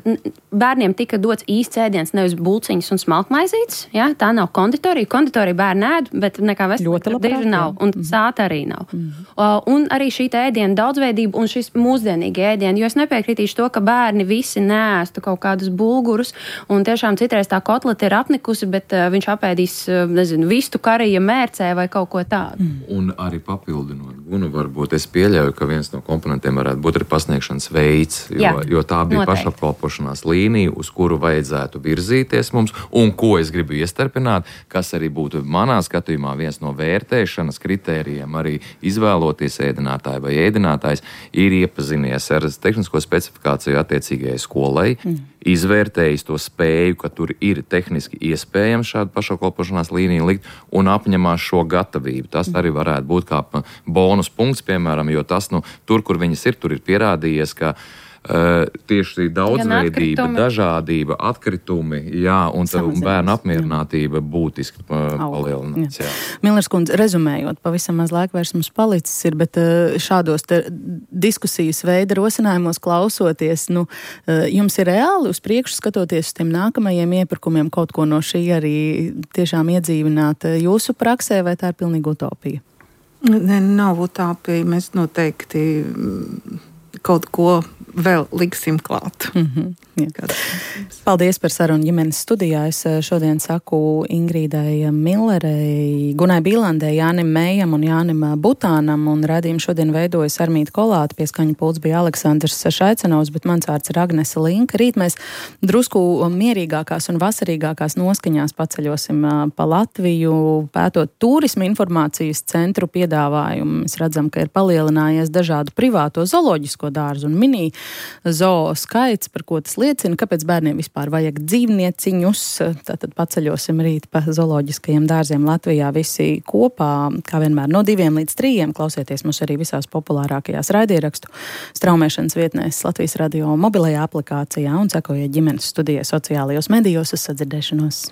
F: bērniem tika dots īsts ēdiens, nevis bulciņas un smalkmaizītes, jā, tā nav konditorija. Konditorija bērni ēd, bet nekā veselīga diži nav, un mm. sāta arī nav. Mm. Uh, un arī šī ēdiena daudzveidība un šis mūsdienīgi ēdieni, jo es nepiekritīšu to, ka bērni visi neēstu kaut kādus bulgurus, un tiešām citreiz tā kotlete ir apnikusi, bet uh, viņš apēdīs, uh, nezinu, vistu karija mērcē vai kaut ko tādu.
D: Mm. Un arī papildinot gunu, varbūt es pieļauju, ka viens no komponentiem varētu būt arī pasniegšanas veids, jo, Jā, jo tā bija noteikti. Pašapkalpošanās līnija, uz kuru vajadzētu virzīties mums, un ko es gribu iestarpināt, kas arī būtu manā skatījumā viens no vērtēšanas kritērijiem, arī izvēloties ēdinātāju vai ēdinātājs, ir iepazinies ar tehnisko specifikāciju attiecīgajai skolai, mm. izvērtējis to spēju, ka tur ir tehniski iespējams šādu pašapkalpošanās līniju likt un apņemās šo gatavību. Tas arī varētu būt kā bonus punkts, piemēram, jo tas, nu, tur, kur viņas ir, tur ir pierādījies, ka uh, tieši daudzveidība, dažādība, atkritumi, jā, un, tā, un bērnu apmierinātība būtiski uh, palielinās.
C: Millers kundze, rezumējot, pavisam maz laika vairs mums palicis ir, bet uh, šādos te diskusijas veida rosinājumos klausoties, nu, uh, jums ir reāli uz priekšu skatoties uz tiem nākamajiem iepirkumiem kaut ko no šī arī tiešām iedzīvināt jūsu praksē, vai tā ir pilnīgi utopija?
E: Ne, nav utopija. Mēs noteikti kaut ko vēl liksim klāt.
C: Mm-hmm, Paldies par sarunu ģimenes studijā. Es šodien saku Ingrīdai Millerei, Gunai Bīlandei, Jānim Mējam un Jānim Butānam, un radījumu šodien veidojas Armīta Kolāte, pie skaņu pults bija Aleksandrs Šaicanovs, bet mans vārds ir Agnese Linka. Rīt mēs drusku mierīgākās un vasarīgākās noskaņās paceļosim pa Latviju, pētot turisma informācijas centru piedāvājumu. Mēs redzam, ka ir palielinājies dažādu privāto zooloģisko dārzu un mini zoo skaits, par ko tas liecina, kāpēc bērniem vispār vajag dzīvnieciņus. Tātad paceļosim rīt pa zooloģiskajiem dārziem Latvijā visi kopā, kā vienmēr no diviem līdz trījiem. Klausieties mūs arī visās populārākajās raidierakstu straumēšanas vietnēs Latvijas radio mobilajā aplikācijā un sekojiet ģimenes studijai sociālajos medijos uz sadzirdēšanos.